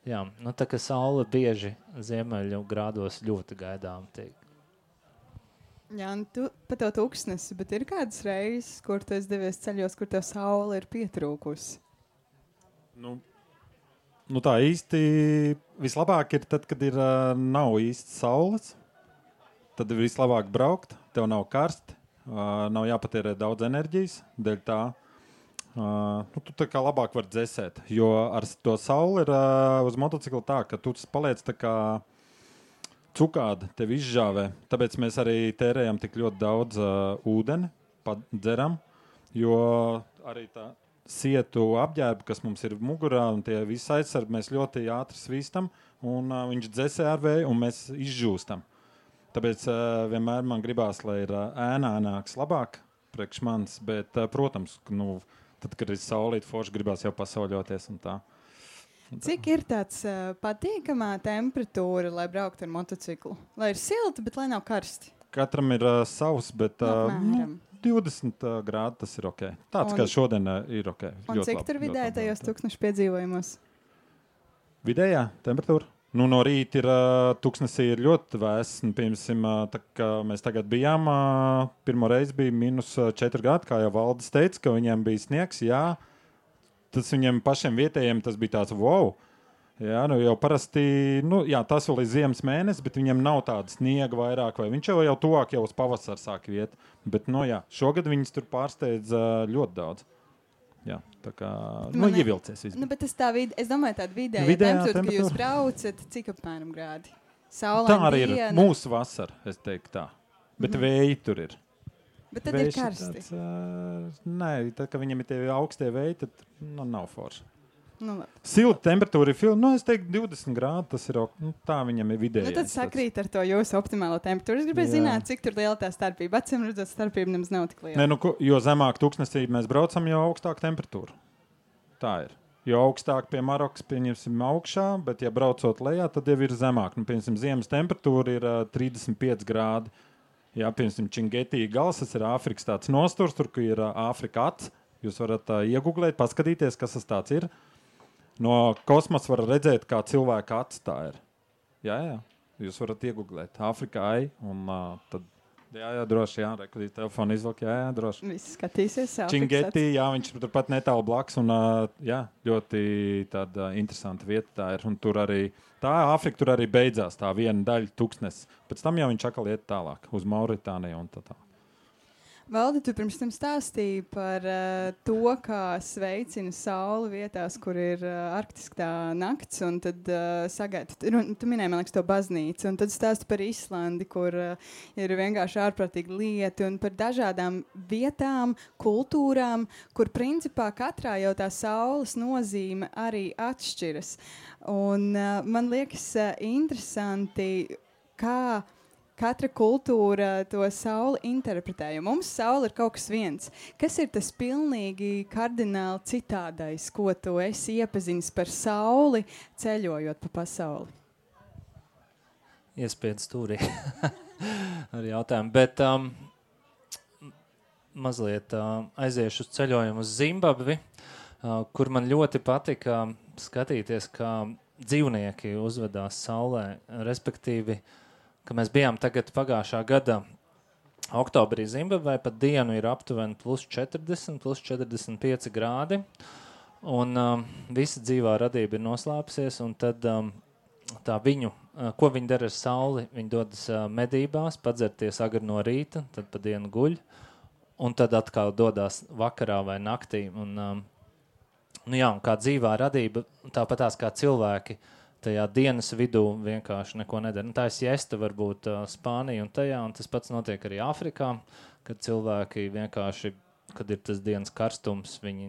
jā, nu tā kā saule bieži ziemeļu grādos ļoti gaidām tiek. Jā, un tu pa to tūkstnesi, bet ir kādas reizes, kur tu esi devies ceļos, kur tev saule ir pietrūkusi? Nu, nu tā īsti vislabāk ir tad, kad ir, uh, nav īsti saules. Tad ir vislabāk braukt, tev nav karsti, uh, nav jāpatērē daudz enerģijas, dēļ tā. Uh, nu, tu tā kā labāk var dzesēt, jo ar to sauli ir uh, uz motocikla tā, ka tu paliec tā kā cukāda tevi izžāvē, tāpēc mēs arī tērējam tik ļoti daudz uh, ūdeni, dzeram, jo arī tā sietu apģērba, kas mums ir mugurā, un tie visi aizsargi, mēs ļoti ātri svīstam, un uh, viņš dzesē ar vēju, un mēs izžūstam. Tāpēc uh, vienmēr man gribās, lai ir uh, ēnānāks labāk priekš manis, bet, uh, protams, nu, tad, kad ir saulīt forši, gribās jau pasauļoties un tā. Cik ir tāds uh, patīkamā temperatūra, lai brauktu ar motociklu? Lai ir silti, bet lai nav karsti. Katram ir uh, savs, bet uh, nu, divdesmit uh, grādi tas ir ok. Tāds un, kā šodien uh, ir ok. Un cik labi, tur vidēji tajos tūkstnešu piedzīvojumos? Vidējā temperatūra? Nu, no rīta ir uh, tūkstnesī ir ļoti vēss. Piemēram, uh, tā kā mēs tagad bijām, uh, pirmo reizi bija minus četri grādi, kā jau Valdis teica, ka viņiem bija sniegs, jā. Tas viņiem pašiem vietējiem tas bija tāds wow. Jā, nu jau parasti, nu jā, tas vēl ir ziemas mēnesis, bet viņiem nav tāda sniega vairāk, vai viņš jau jau tuvāk jau uz pavasaru sāk iet. Bet, nu jā, šogad viņas tur pārsteidz uh, ļoti daudz. Jā, tā kā, nu, Man ievilcies viss. Nu, bet tas tā vid, es domāju, tāda vidējā, vidējā temperatūra, ka jūs braucat, cik apmēram grādi? Saulain tā arī diena. Ir mūsu vasara, es teiktu tā. Bet mm. vēji tur ir. Bet tad Vējš ir karsti. Tāds, uh, nē, tad, kad viņam ir tie augstie vēji, tad nu, nav forši. Nu, silta temperatūra ir filma, nu, es teiktu divdesmit grādi, tas ir, nu, tā viņam ir vidējais. Nu, tad sakrīt ar to jūsu optimālo temperatūru. Es gribēju Jā. zināt, cik tur liela tā starpība. Acīm redzot, starpība nemaz nav tik liela. Nē, nu, jo zemāk tūkstnesī mēs braucam, jo augstāk temperatūra. Tā ir. Jo augstāk pie Marokas pieņemsim augšā, bet ja braucot lejā, tad jau ir zemāk. Nu, pieņemsim, ziemas temperatūra ir uh, trīsdesmit pieci grādi. Jā, piemēram, Čingetī gals, tas ir Āfrikas tāds nosturs, tur, kur ir uh, Āfrika ats. Jūs varat uh, iegooglēt, paskatīties, kas tas tāds ir. No kosmosa var redzēt, kā cilvēka ats tā ir. Jā, jā, jūs varat iegooglēt Āfrika ai, un uh, tad, jā, jā, droši, jā, rekordīt telefonu izvilk, jā, jā, droši. Visi skatīsies Āfrikas Čingetī, jā, viņš turpat netālu blakus, un uh, jā, ļoti tāda uh, interesanta vieta tā ir, un tur arī, tā Āfrika tur arī beidzās, tā viena daļa tūkstnes. Pēc tam jau viņš atkal iet tālāk, uz Mauritāniju un tā tā. Valdi, tu pirms tam stāstīji par uh, to, kā sveicina sauli vietās, kur ir uh, arktiskā nakts, un tad uh, sagaida, tu, tu minēji, man liekas, to baznīcu, un tad stāsti par Islandi, kur uh, ir vienkārši ārprātīgi lieti, un par dažādām vietām, kultūrām, kur principā katrā jau tā saules nozīme arī atšķiras. Un uh, man liekas uh, interesanti, kā katra kultūra to sauli interpretē, jo mums saule ir kaut kas viens. Kas ir tas pilnīgi kardināli citādais, ko tu esi iepazinis par sauli, ceļojot pa pasauli? Iespiedz stūrī ar jautājumu, bet um, mazliet uh, aiziešu uz ceļojumu uz Zimbabvi, uh, kur man ļoti patika skatīties, kā dzīvnieki uzvedās saulē, respektīvi, ka mēs bijām tagad pagājušā gada oktobrī Zimbabvē, pat dienu ir aptuveni plus četrdesmit, plus četrdesmit pieci grādi, un um, visa dzīvā radība ir noslēpusies, un tad um, tā viņu, uh, ko viņi dara ar sauli, viņi dodas uh, medībās, padzerties agri no rīta, tad pa dienu guļ, un tad atkal dodās vakarā vai naktī, un, um, nu jā, un kā dzīvā radība, tāpatās kā cilvēki, tajā dienas vidū vienkārši neko nedara. Nu, tā ir siesta varbūt uh, Spānija un tajā, un tas pats notiek arī Āfrikā, kad cilvēki vienkārši, kad ir tas dienas karstums, viņi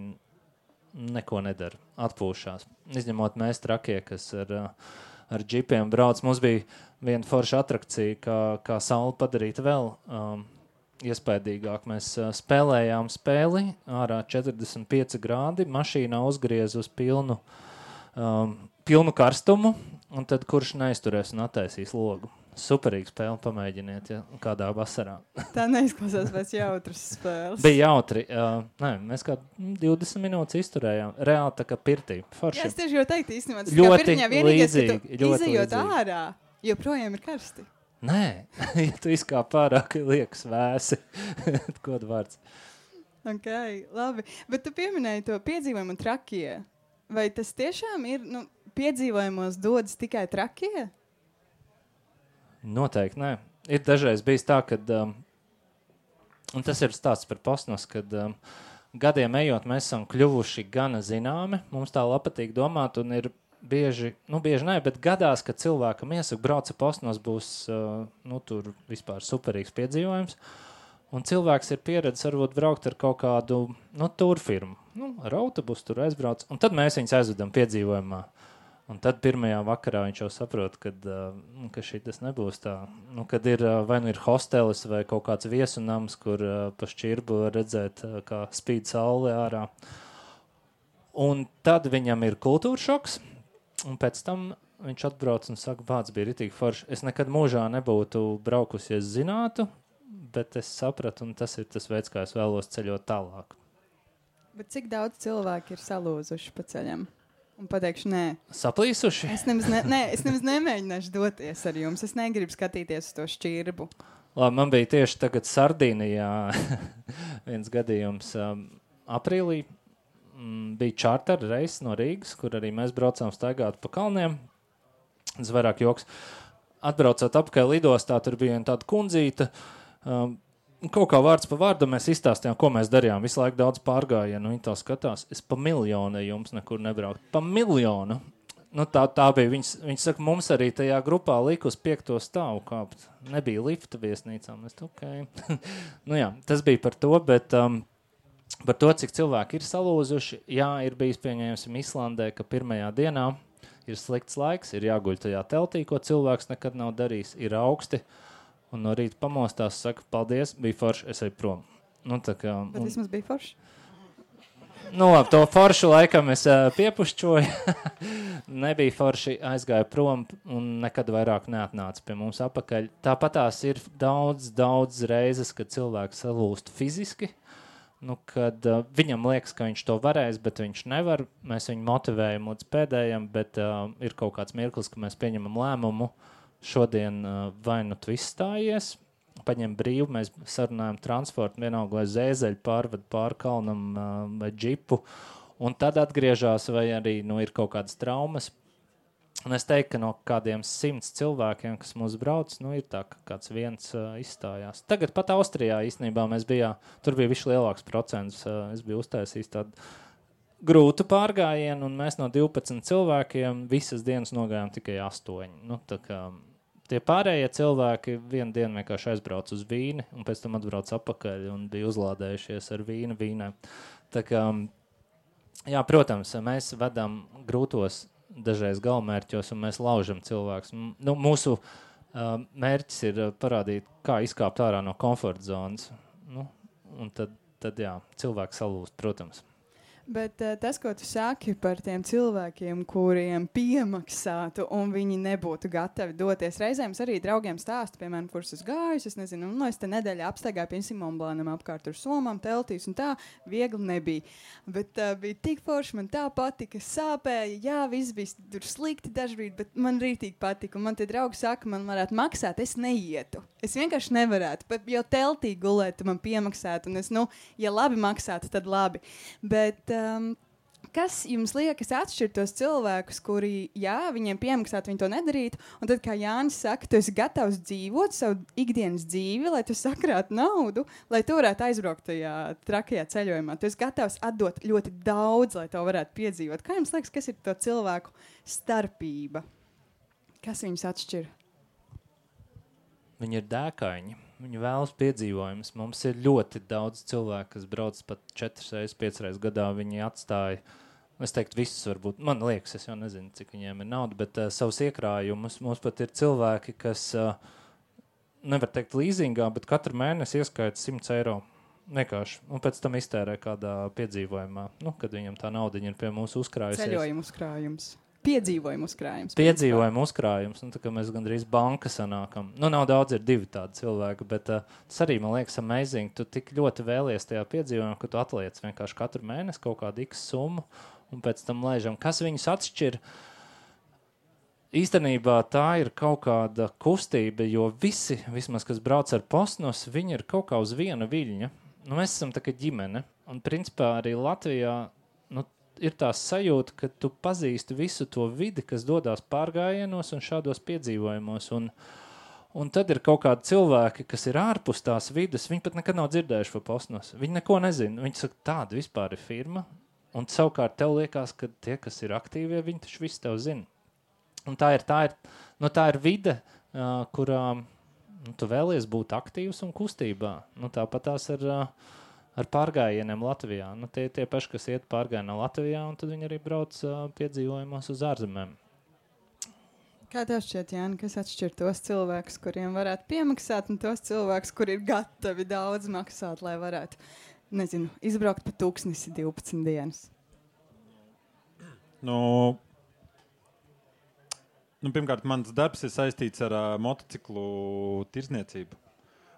neko nedara, atpūšās. Izņemot mēs trakie, kas ar, uh, ar džipiem brauc. Mums bija viena forša atrakcija, kā, kā sauli padarīt vēl um, iespaidīgāk. Mēs uh, spēlējām spēli, ārā četrdesmit pieci grādi, mašīnā uzgriez uz pilnu um, pilnu karstumu, un tad kurš neizturēs un attaisīs logu. Superīga spēle, pamēģiniet, ja kādā vasarā. Tā neizklausās pēc jautras spēles. Bija jautri. Uh, nē, mēs kā divdesmit minūtes izturējām. Reāli tā kā pirtī. Forši. Jā, es tieši jau teiktu īstenībā. Tas ļoti kā pirtiņā vienīgais, līdzīgi. ka tu Ļoti izejot līdzīgi. ārā, joprojām ir karsti. Nē, ja tu izkāp pārāk liekas vēsi. Kodu vārds. Ok, labi. Bet tu pieminēji to piedzīvojumu trakie. Vai tas tiešām ir, nu, piedzīvojumos dodas tikai trakie? Noteikti, nē. Ir dažreiz bijis tā, kad, um, un tas ir stāsts par Postnos, kad um, gadiem ejot mēs esam kļuvuši gana zināmi, mums tā patīk domāt, un ir bieži, nu bieži nē, bet gadās, ka cilvēkam iesaka brauca Postnos būs, uh, nu tur vispār superīgs piedzīvojums, un cilvēks ir pieredzis varbūt braukt ar kaut kādu, nu, turfirmu, nu, ar autobusu tur aizbrauc, un tad mēs viņus aizvedam piedzīvojumā. Un tad pirmajā vakarā viņš jau saprot, kad, uh, ka šitas nebūs tā. Nu, kad ir, uh, vai nu ir hostelis vai kaut kāds viesunams, kur uh, pa šķirbu var redzēt, uh, kā spīd saule ārā. Un tad viņam ir kultūra šoks, un pēc tam viņš atbrauc un saka, vārds bija ritīgi forši. Es nekad mūžā nebūtu braukusi, ja es zinātu, bet es sapratu, un tas ir tas veids, kā es vēlos ceļot tālāk. Bet cik daudz cilvēki ir salūzuši pa ceļam? Un pateikšu, nē. Saplīsuši? Es nemaz, ne, nē, es nemaz nemēģināšu doties ar jums. Es negribu skatīties uz to šķirbu. Labi, man bija tieši tagad Sardīnijā viens gadījums. Um, aprīlī um, bija čārter reiss no Rīgas, kur arī mēs braucām staigāt pa kalniem. Tas vairāk joks. Atbraucot apkārt lidostā, tur bija tāda kundzīta. Um, Kaut kā vārds pa vārdu mēs izstāstījām, ko mēs darījām. Visu laiku daudz pārgājienu, viņi tā skatās. Es pa miljonu jums nekur nebraukt. Pa miljonu. Nu, tā, tā bija. Viņas, viņas saka, mums arī tajā grupā lika uz piekto stāvu kāpt. Nebija lifta viesnīcām. Es okay. Nu jā, tas bija par to, bet um, par to, cik cilvēki ir salūzuši. Jā, ir bijis pieņēmusim Islandē, ka pirmajā dienā ir slikts laiks, ir jāguļ tajā teltī, ko cilvēks nekad nav darījis, ir augsti. Un no rīta pamostās, saka, paldies, bija forši, es eju prom. Nu, tā kā, Bet un, vismaz bija forši. nu, labi, to foršu laikam es uh, piepušķoju. Nebija forši, aizgāju prom un nekad vairāk neatnāca pie mums apakaļ. Tāpatās ir daudz, daudz reizes, kad cilvēks salūst fiziski. Nu, kad uh, viņam liekas, ka viņš to varēs, bet viņš nevar. Mēs viņu motivējam līdz pēdējam, bet uh, ir kaut kāds mirklis, ka mēs pieņemam lēmumu. Šodien uh, vai nu tu izstājies, paņem brīvu, mēs sarunājam transportu, vienalga, lai zēzeļu pārved pār kalnam uh, vai džipu, un tad atgriežās, vai arī nu, ir kaut kādas traumas. Un es teiktu, ka no kādiem simts cilvēkiem, kas mūs brauc, nu, ir tā, ka kāds viens uh, izstājās. Tagad pat Austrijā īstenībā mēs bijām, tur bija višķi lielāks procents, uh, es biju uztaisījis tādu grūtu pārgājienu, un mēs no divpadsmit cilvēkiem visas dienas nogājām tikai astoņi. Nu, tā kā tie pārējie cilvēki vienu dienu vienkārši aizbrauc uz vīni, un pēc tam atbrauc apakaļ un bija uzlādējušies ar vīnu vīnē. Tā kā, jā, protams, mēs vedam grūtos dažreiz galvmērķos, un mēs laužam cilvēkus. Nu, mūsu uh, mērķis ir parādīt, kā izkāpt ārā no komforta zonas. Nu, un tad, tad jā, cilvēks salūst, protams. Bet uh, tas, ko tu saki par tiem cilvēkiem, kuriem piemaksātu un viņi nebūtu gatavi doties, reizēm es arī draugiem stāstu, piemēram, kurus es gāju, es nezinu, nu, es te nedēļā apstaigāju pie Simonblānam apkārt tur somām, teltīs un tā, viegli nebija. Bet uh, bija tik forši, man tā patika, sāpēja, jā, viss bija tur slikti dažbrīd, bet man rītīgi patika. Un man tie draugi saka, man varētu maksāt, es neietu. Es vienkārši nevarētu, pat jau teltī gulēt, man piemaksāt, un es, nu, ja labi maksātu, tad labi. Bet Um, kas jums liekas atšķir tos cilvēkus, kuri, jā, viņiem piemaksāt, viņi to nedarītu, un tad, kā Jānis saka, tu esi gatavs dzīvot savu ikdienas dzīvi, lai tu sakrātu naudu, lai tu varētu aizbraukt tajā trakajā ceļojumā. Tu esi gatavs atdot ļoti daudz, lai to varētu piedzīvot. Kā jums liekas, kas ir to cilvēku starpība? Kas viņus atšķir? Viņi ir dēkaini. Viņi vēlas piedzīvojumus. Mums ir ļoti daudz cilvēku, kas brauc pat četras reizes, piecas reizes gadā. Viņi atstāja, es teiktu, visus varbūt, man liekas, es jau nezinu, cik viņiem ir nauda, bet uh, savus iekrājumus. Mums pat ir cilvēki, kas, uh, nevar teikt līzingā, bet katru mēnesi ieskaita simts eiro. Vienkārši. Un pēc tam iztērē kādā piedzīvojumā, nu, kad viņam tā naudiņa ir pie mūsu uzkrājusies. Ceļojumu uzkrājums. piedzīvojumu uzkrājums. Piedzīvojumu uzkrājums. Nu, tā kā mēs gandrīz banka sanākam. Nu, nav daudz, ir divi tādi cilvēki, bet uh, tas arī, man liekas, amazing. Tu tik ļoti vēlies tajā piedzīvojumā, ka tu atliec vienkārši katru mēnesi kaut kādu X summu un pēc tam lēžam. Kas viņus atšķir? Īstenībā tā ir kaut kāda kustība, jo visi, vismaz, kas brauc ar Postnos, viņi ir kaut kā uz viena viļņa. Nu, mēs esam tā kā ģimene. Un principā arī Latvijā nu, ir tā sajūta, ka tu pazīsti visu to vidi, kas dodās pārgājienos un šādos piedzīvojumos. Un, un tad ir kaut kādi cilvēki, kas ir ārpus tās vidas, viņi pat nekad nav dzirdējuši par Postnos. Viņi neko nezina. Viņi saka, tāda vispār ir firma. Un savukārt tev liekas, ka tie, kas ir aktīvie, viņi taču visu tev zina. Un tā ir, tā ir, nu, tā ir vide, uh, kurā nu, tu vēlies būt aktīvs un kustībā. Nu, tāpat tās ar, uh, ar pārgājieniem Latvijā. Nu, tie tie paši, kas iet pārgājienā Latvijā, un tad viņi arī brauc uh, piedzīvojumos uz ārzemēm. Kā tev šķiet, Jāni, kas atšķir tos cilvēkus, kuriem varētu piemaksāt, un tos cilvēkus, kuri ir gatavi daudz maksāt, lai varētu, nezinu, izbraukt pa tūkstnesi divpadsmit dienas? Nu... Nu, pirmkārt, mans darbs ir saistīts ar uh, motociklu tirzniecību.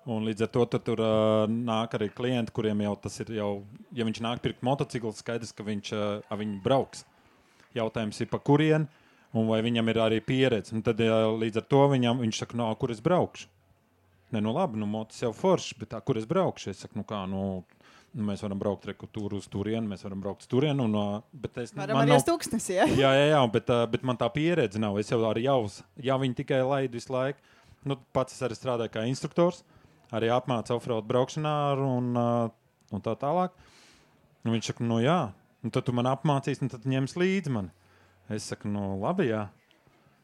Un līdz ar to tur, tur uh, nāk arī klienti, kuriem jau tas ir jau, ja viņš nāk pirkt motociklu, skaidrs, ka viņš uh, viņu brauks. Jautājums ir, pa kurien, un vai viņam ir arī pieredze. Un tad uh, līdz ar to viņam, viņš saka, no, kur es braukšu? Ne, nu labi, nu motos jau forši, bet tā, kur es braukšu? Es saku, nu kā, nu... Nu, mēs varam braukt rekutūru uz turienu, mēs varam braukt uz turienu. Un, bet es, varam arī uz tūkstnesi, ja? Jā, jā, jā, bet, bet man tā pieredze nav. Es jau arī jau, ja viņi tikai laidu visu laiku. Nu, pats es arī strādāju kā instruktors, arī apmācu offroad braukšanā un, un tā tālāk. Un viņš saka, nu jā, un tad tu man apmācīs, un tad ņems līdzi mani. Es saku, nu labi, jā.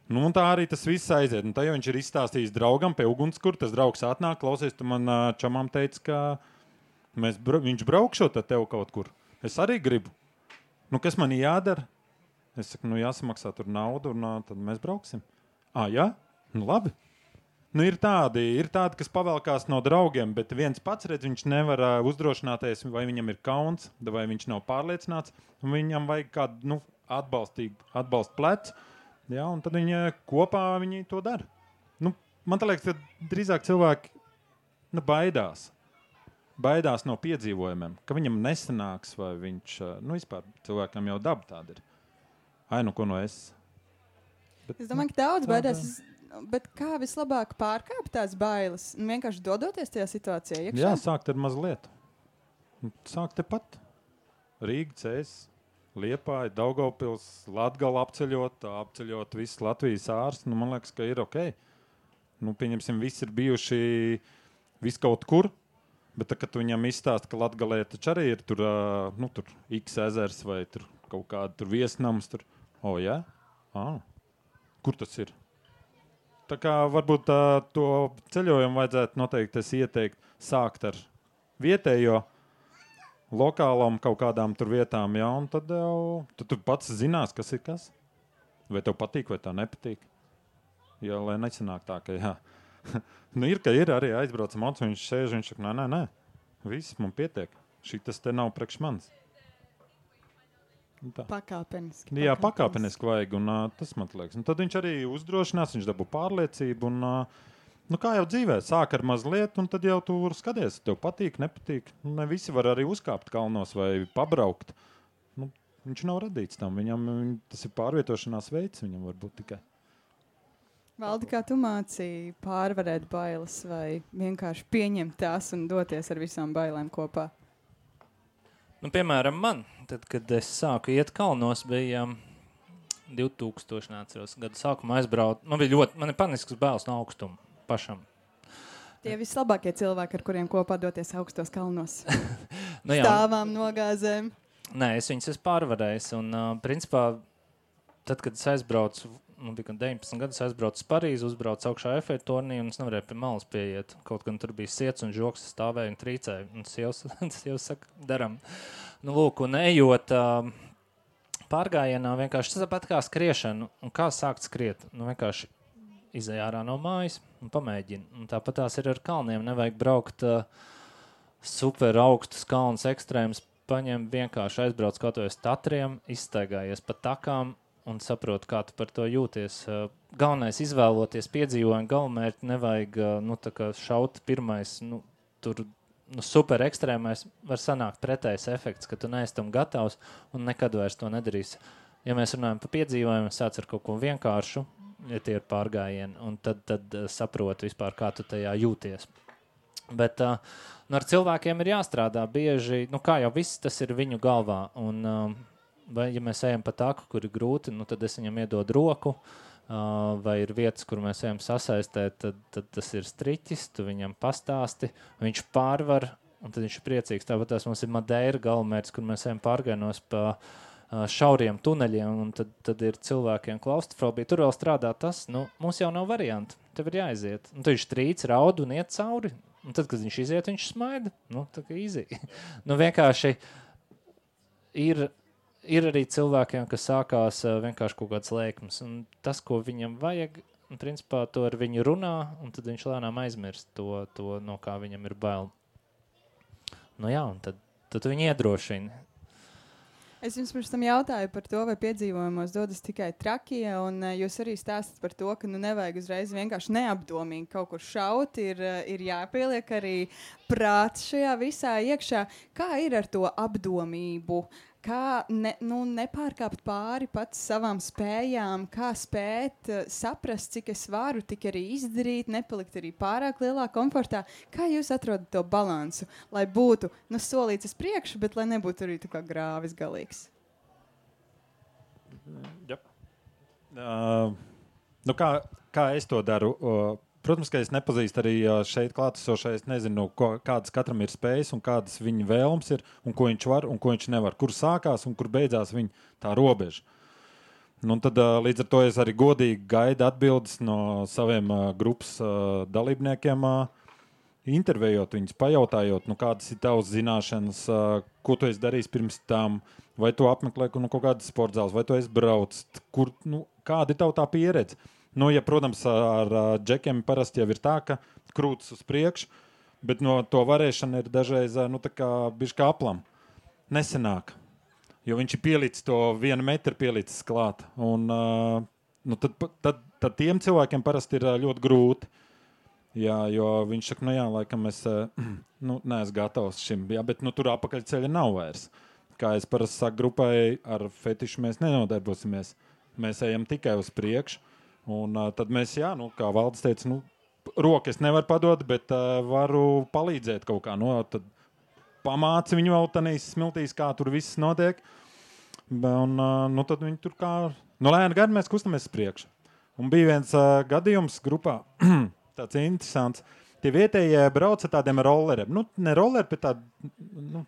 Nu, un tā arī tas viss aiziet. Un tā jau viņš ir izstāstījis draugam pie ugunskura, tas draugs atnāk, klausies, tu man čamām teici, ka Mēs, bra viņš braukšot ar tev kaut kur. Es arī gribu. Nu, kas man jādara? Es saku, nu jāsamaksā tur naudu, un uh, tad mēs brauksim. Ā, jā? Nu, labi. Nu, ir tādi, ir tādi, kas pavelkās no draugiem, bet viens pats redz, viņš nevar uh, uzdrošināties, vai viņam ir kauns, vai viņš nav pārliecināts, un viņam vajag kādu, nu, atbalstīgu, atbalstu plecu, jā, un tad viņi kopā viņi to dara. Nu, man tā liekas, ka drīzāk cilvēki, nu, baidās. baidās no piedzīvojumiem, ka viņam nesanāks, vai viņš, nu, vispār cilvēkam jau daba tāda ir. Ai, nu, ko no es? Bet, es domāju, ka daudz baidās, bet kā vislabāk pārkāpt tās bailes? Vienkārši dodoties tajā situācijā iekšā? Jā, sākt ar mazliet. Sākt tepat. Rīga, Cēs, Liepāja, Daugavpils, Latgala apceļot, apceļot visu Latvijas ārstu. Nu, man liekas, ka ir ok. Nu, pieņemsim, visi ir bijuši visu kaut kur. Bet tā, kad viņam izstāsta, ka Latgalē taču arī ir tur, uh, nu, tur X ezers vai tur kaut kāda tur viesnams, tur, o, jā? Ah, kur tas ir? Tā kā varbūt uh, to ceļojumu vajadzētu noteikti es ieteikt sākt ar vietējo, lokālām kaut kādām tur vietām, jā, un tad jau, tad tu pats zinās, kas ir kas. Vai tev patīk, vai tā nepatīk. Jā, lai nesanāk tā, ka jā. Nu, ir, ka ir arī aizbraucam auts, viņš sēž, viņš saka, nē, nē, nē, viss man pietiek. Šitas te nav priekš manis. Pakāpeniski. Jā, pakāpeniski vajag, un uh, tas man liekas. Un tad viņš arī uzdrošinās, viņš dabū pārliecību, un, uh, nu, kā jau dzīvē, sāk ar mazliet, un tad jau tu skaties, tev patīk, nepatīk. Ne visi var arī uzkāpt kalnos vai pabraukt. Nu, viņš nav radīts tam, viņam, viņ, tas ir pārvietošanās veids, viņam varbūt tikai. Valdi, kā tu mācīji pārvarēt bailes vai vienkārši pieņemt tās un doties ar visām bailēm kopā? Nu, piemēram, man, tad, kad es sāku iet kalnos, bija um, divtūkstoši neatceros gadu sākumā aizbraut. Man bija ļoti, man ir panisks bailes no augstuma pašam. Tie vislabākie cilvēki, ar kuriem kopā doties augstos kalnos. Nu, jā, stāvām, nogāzēm. Nē, es viņus esmu pārvarējis. Un, uh, principā, tad, kad es aizbraucu, nu, bija deviņpadsmit gadus, aizbraucu uz Parīzi, uzbraucu augšā Eiffeļa tornī, un es nevarēju pie malas pieiet. Kaut gan tur bija siets un žoks, stāvēja un trīcēja. Un sievs, sievs saka, daram. Nu, lūk, un ejot uh, pārgājienā, vienkārši tas tāpat kā skriešana. Un kā sākt skriet? Nu, vienkārši izej ārā no mājas un pamēģini. Un tāpat tās ir ar kalniem. Nevajag braukt uh, super augstus kalnus ekstrēmus, paņem vienkārši aizbrauc kaut vai uz Tatriem, izstaigājies pa takām, un saproti, kā tu par to jūties. Galvenais izvēloties piedzīvojumu galamērķi, nevajag nu, tā kā šaut pirmais, nu, tur nu, super ekstrēmais, var sanākt pretējs efekts, ka tu neesi tam gatavs un nekad vairs to nedarīsi. Ja mēs runājam par piedzīvojumu, sāc ar kaut ko vienkāršu, ja tie ir pārgājieni, un tad, tad saproti vispār, kā tu tajā jūties. Bet uh, nu, ar cilvēkiem ir jāstrādā bieži, nu kā jau viss tas ir viņu galvā, un uh, vai, ja mēs ejam pa taku, kur ir grūti, nu, tad es viņam iedodu roku, uh, vai ir vietas, kur mēs ejam sasaistēt, tad, tad tas ir striķis, tu viņam pastāsti, viņš pārvar, un tad viņš ir priecīgs. Tāpat tās mums ir Madeira galamērķis, kur mēs ejam pārgainos pa uh, šauriem tuneļiem, un tad, tad ir cilvēkiem klaustrofobija. Tur vēl strādā tas, nu, mums jau nav varianti, tev ir jāiziet. Un tad viņš trīc, raud un iet cauri, un tad, kad viņš iziet, viņš smaida. Nu, tā kā easy. nu, vienkārši ir... Ir arī cilvēkiem, kas sākās uh, vienkārši kaut kāds lēkums, un tas, ko viņam vajag, un principā to ar viņu runā, un tad viņš lēnām aizmirst to, to no kā viņam ir bail. Nu jā, un tad, tad viņi iedrošina. Es jums pirms tam jautāju par to, vai piedzīvojumos dodas tikai trakie, un uh, jūs arī stāstat par to, ka nu nevajag uzreiz vienkārši neapdomīgi kaut kur šaut, ir, uh, ir jāpieliek arī prāts šajā visā iekšā. Kā ir ar to apdomību? Kā ne, nu, nepārkāpt pāri pats savām spējām, kā spēt uh, saprast, cik es varu, tik arī izdarīt, nepalikt arī pārāk lielā komfortā. Kā jūs atrodat to balansu, lai būtu nu, solīts uz priekšu, bet lai nebūtu arī tā kā grāvis galīgs? Yep. Uh, nu kā, kā es to daru? Uh, Protams, ka es nepazīstu arī šeit klātesošais, nezinu, ko, kādas katram ir spējas un kādas viņa vēlums ir, un ko viņš var un ko viņš nevar. Kur sākās un kur beidzās viņa tā robeža. Nu, tad līdz ar to es arī godīgi gaidu atbildes no saviem grupas dalībniekiem, intervējot viņus, pajautājot, nu, kādas ir tavas zināšanas, ko tu esi darījis pirms tam, vai tu apmeklē nu, kaut kādas sportzāles, vai tu esi braucis, kur, nu, kāda ir tava tā pieredze. Nu, ja, protams, ar džekiem parasti jau ir tā, ka krūtis uz priekšu, bet no to varēšana ir dažreiz nu, tā kā bišķi kā aplam. Nesenāk, jo viņš ir pielicis to vienu metru pielicis klāt. Un, nu, tad, tad, tad tiem cilvēkiem parasti ir ļoti grūti. Jā, jo viņš saka, nu jā, laikam es nu, neesmu gatavs šim, jā, bet nu, tur apakaļceļa nav vairs. Kā es parasti saku grupai, ar fetišu mēs nenodarbosimies. Mēs ejam tikai uz priekšu. Un uh, tad mēs, jā, nu, kā Valdis teica, nu, roku es nevaru padot, bet uh, varu palīdzēt kaut kā. Nu, tad pamāci viņu vēl tanīs smiltīs, kā tur viss notiek. Un uh, nu, tad viņi tur kā, nu, lēni gadi mēs kustamies priekš. Un bija viens uh, gadījums grupā, tāds interesants. Tie vietējie brauc ar tādiem rolleriem. Nu, ne rolleri, bet tādi, nu,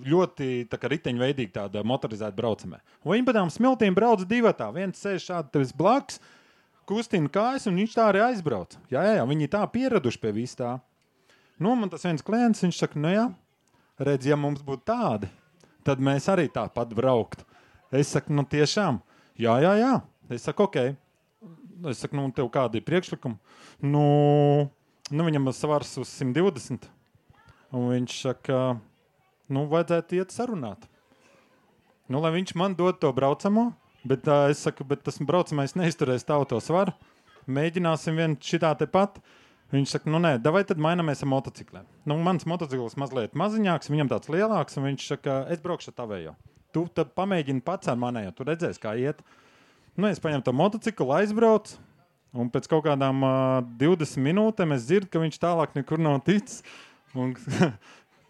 ļoti tā kā riteņveidīgi tāda motorizēta braucamē. Un viņi pa tām smiltīm brauc divatā. Viens sēž šādi tevis blakus, kustina kājas, un viņš tā arī aizbrauc. Jā, jā, jā, viņi tā pieraduši pie vis tā. Nu, man tas viens klients, viņš saka, nu jā, redz, ja mums būtu tādi, tad mēs arī tāpat brauktu. Es saku, nu tiešām, jā, jā, jā. Es saku, ok. Es saku, nu, tev kādi ir priekšlikumi? Nu, nu viņam svars uz simt divdesmit. Un viņš saka, nu, vajadzētu iet sarunāt. Nu, lai viņš man dod to braucamo, bet uh, es saku, bet tas braucamais neizturēs tavu to svaru. Mēģināsim vien šitā te pat. Viņš saka, nu nē, davai tad mainamies ar motocikliem. Nu, mans motocikls mazliet maziņāks, viņam tāds lielāks, un viņš saka, es braukšu ar tavējo. Tu tad pamēģini pats ar manējo, tu redzēsi, kā iet. Nu, es paņemu to motociklu, aizbraucu, un pēc kaut kādām uh, divdesmit minūtēm es dzirdu, ka viņš tālāk nekur nav ticis. Un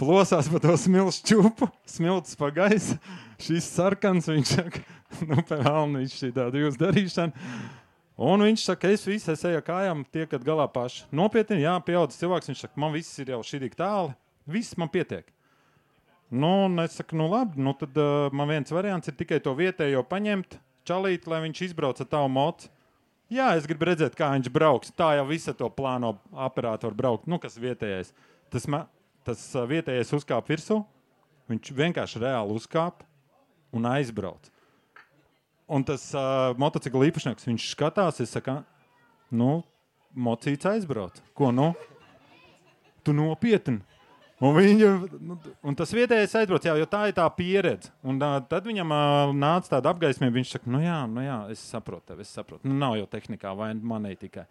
plosās pa to smilšu čupu, smilts pa gaisu, šis sarkans, viņš saka, nu, pēc vēlni, viņš šī tāda jūs darīšana. Un viņš saka, es visu, es eju kājām, tiekat galā paši. Nopietni, jā, pieaudzis cilvēks, viņš saka, man viss ir jau šī tik tāli, viss man pietiek. Nu, un es saku, nu labi, nu tad uh, man viens variants ir tikai to vietējo paņemt, čalīt, lai viņš izbrauc ar tavu mocu. Jā, es gribu redzēt, kā viņš brauks. Tā jau visa to plāno aparātu var braukt, nu, kas vietējais. Tas ma... Tas vietējais uzkāp virsū, viņš vienkārši reāli uzkāp un aizbrauc. Un tas uh, motocikla īpašnieks, viņš skatās, es saku, nu, mocīts aizbrauc. Ko, nu? Tu nopietni? Un, viņa, nu, un tas vietējais aizbrauc, jā, jo tā ir tā pieredze. Un uh, tad viņam uh, nāca tāda apgaismība, viņš saka, nu jā, nu jā, es saprotu tevi, es saprotu. Nu, nav jau tehnikā, vai manī tikai.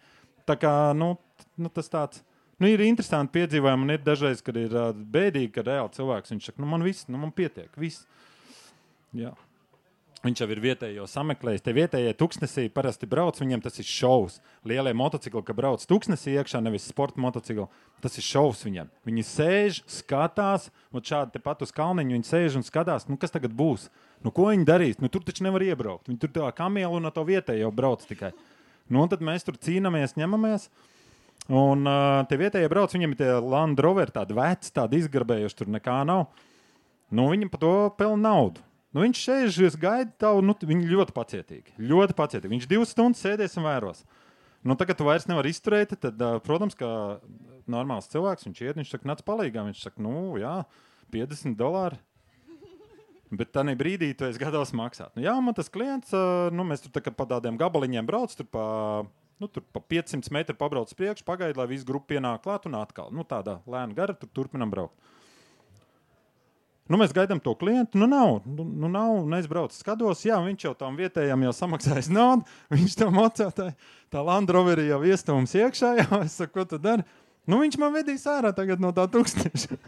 Tā kā, nu, nu tas tāds, nu ir interesanti piedzīvojumi, un ir dažreiz, kad ir uh, bēdīgi, ka reāli cilvēks, viņš saka, nu man viss, nu man pietiek, viss. Jā. Viņš jau ir vietējo sameklējis. Te vietējie tuksnesī parasti brauc, viņiem tas ir šovs. Lielie motocikli, ka brauc tuksnesī iekšā, nevis sporta motocikli, tas ir šovs viņiem. Viņi sēž, skatās, un šādi tepat uz kalniņu viņi sēž un skatās, nu kas tagad būs? Nu ko viņi darīs? Nu tur taču nevar iebraukt. Viņi tur tā kamielu un to vietējo brauc tikai. Nu un tad mēs tur cīnamies, ņemamies. Un uh, te vietējie brauc, viņiem ir tie Land Rover, tādi veci, tādi izgarbējuši, tur nekā nav. Nu viņi pa to pelna naudu. Nu, viņš sēž, gaida tavu, nu, viņi ļoti pacietīgi, ļoti pacietīgi. Viņš divas stundas sēdēs un vēros. Nu, tagad tu vairs nevar izturēt, tad, protams, kā normāls cilvēks, viņš iet, viņš saka, nāc palīgā. Viņš saka, nu, jā, piecdesmit dolāri. Bet tā brīdī tu esi gatavs maksāt. Nu, jā, man tas klients, nu, mēs tur tā, pa tādiem gabaliņiem brauc, tur pa, nu, tur pa piecsimt metru pabrauc priekš, pagaida, lai visu grupu pienāk klāt un atkal. Nu, tādā lēna gara, tur turpinam braukt. Nu, mēs gaidām to klientu, nu nav, nu, nu nav, un es braucu skatos, jā, viņš jau tam vietējam jau samaksājis naudu, viņš tam atcētāja, tā Land Roveri jau iestūms iekšā, jā, es saku, ko tu dari? Nu, viņš man vedīs ārā tagad no tā tūkstneša.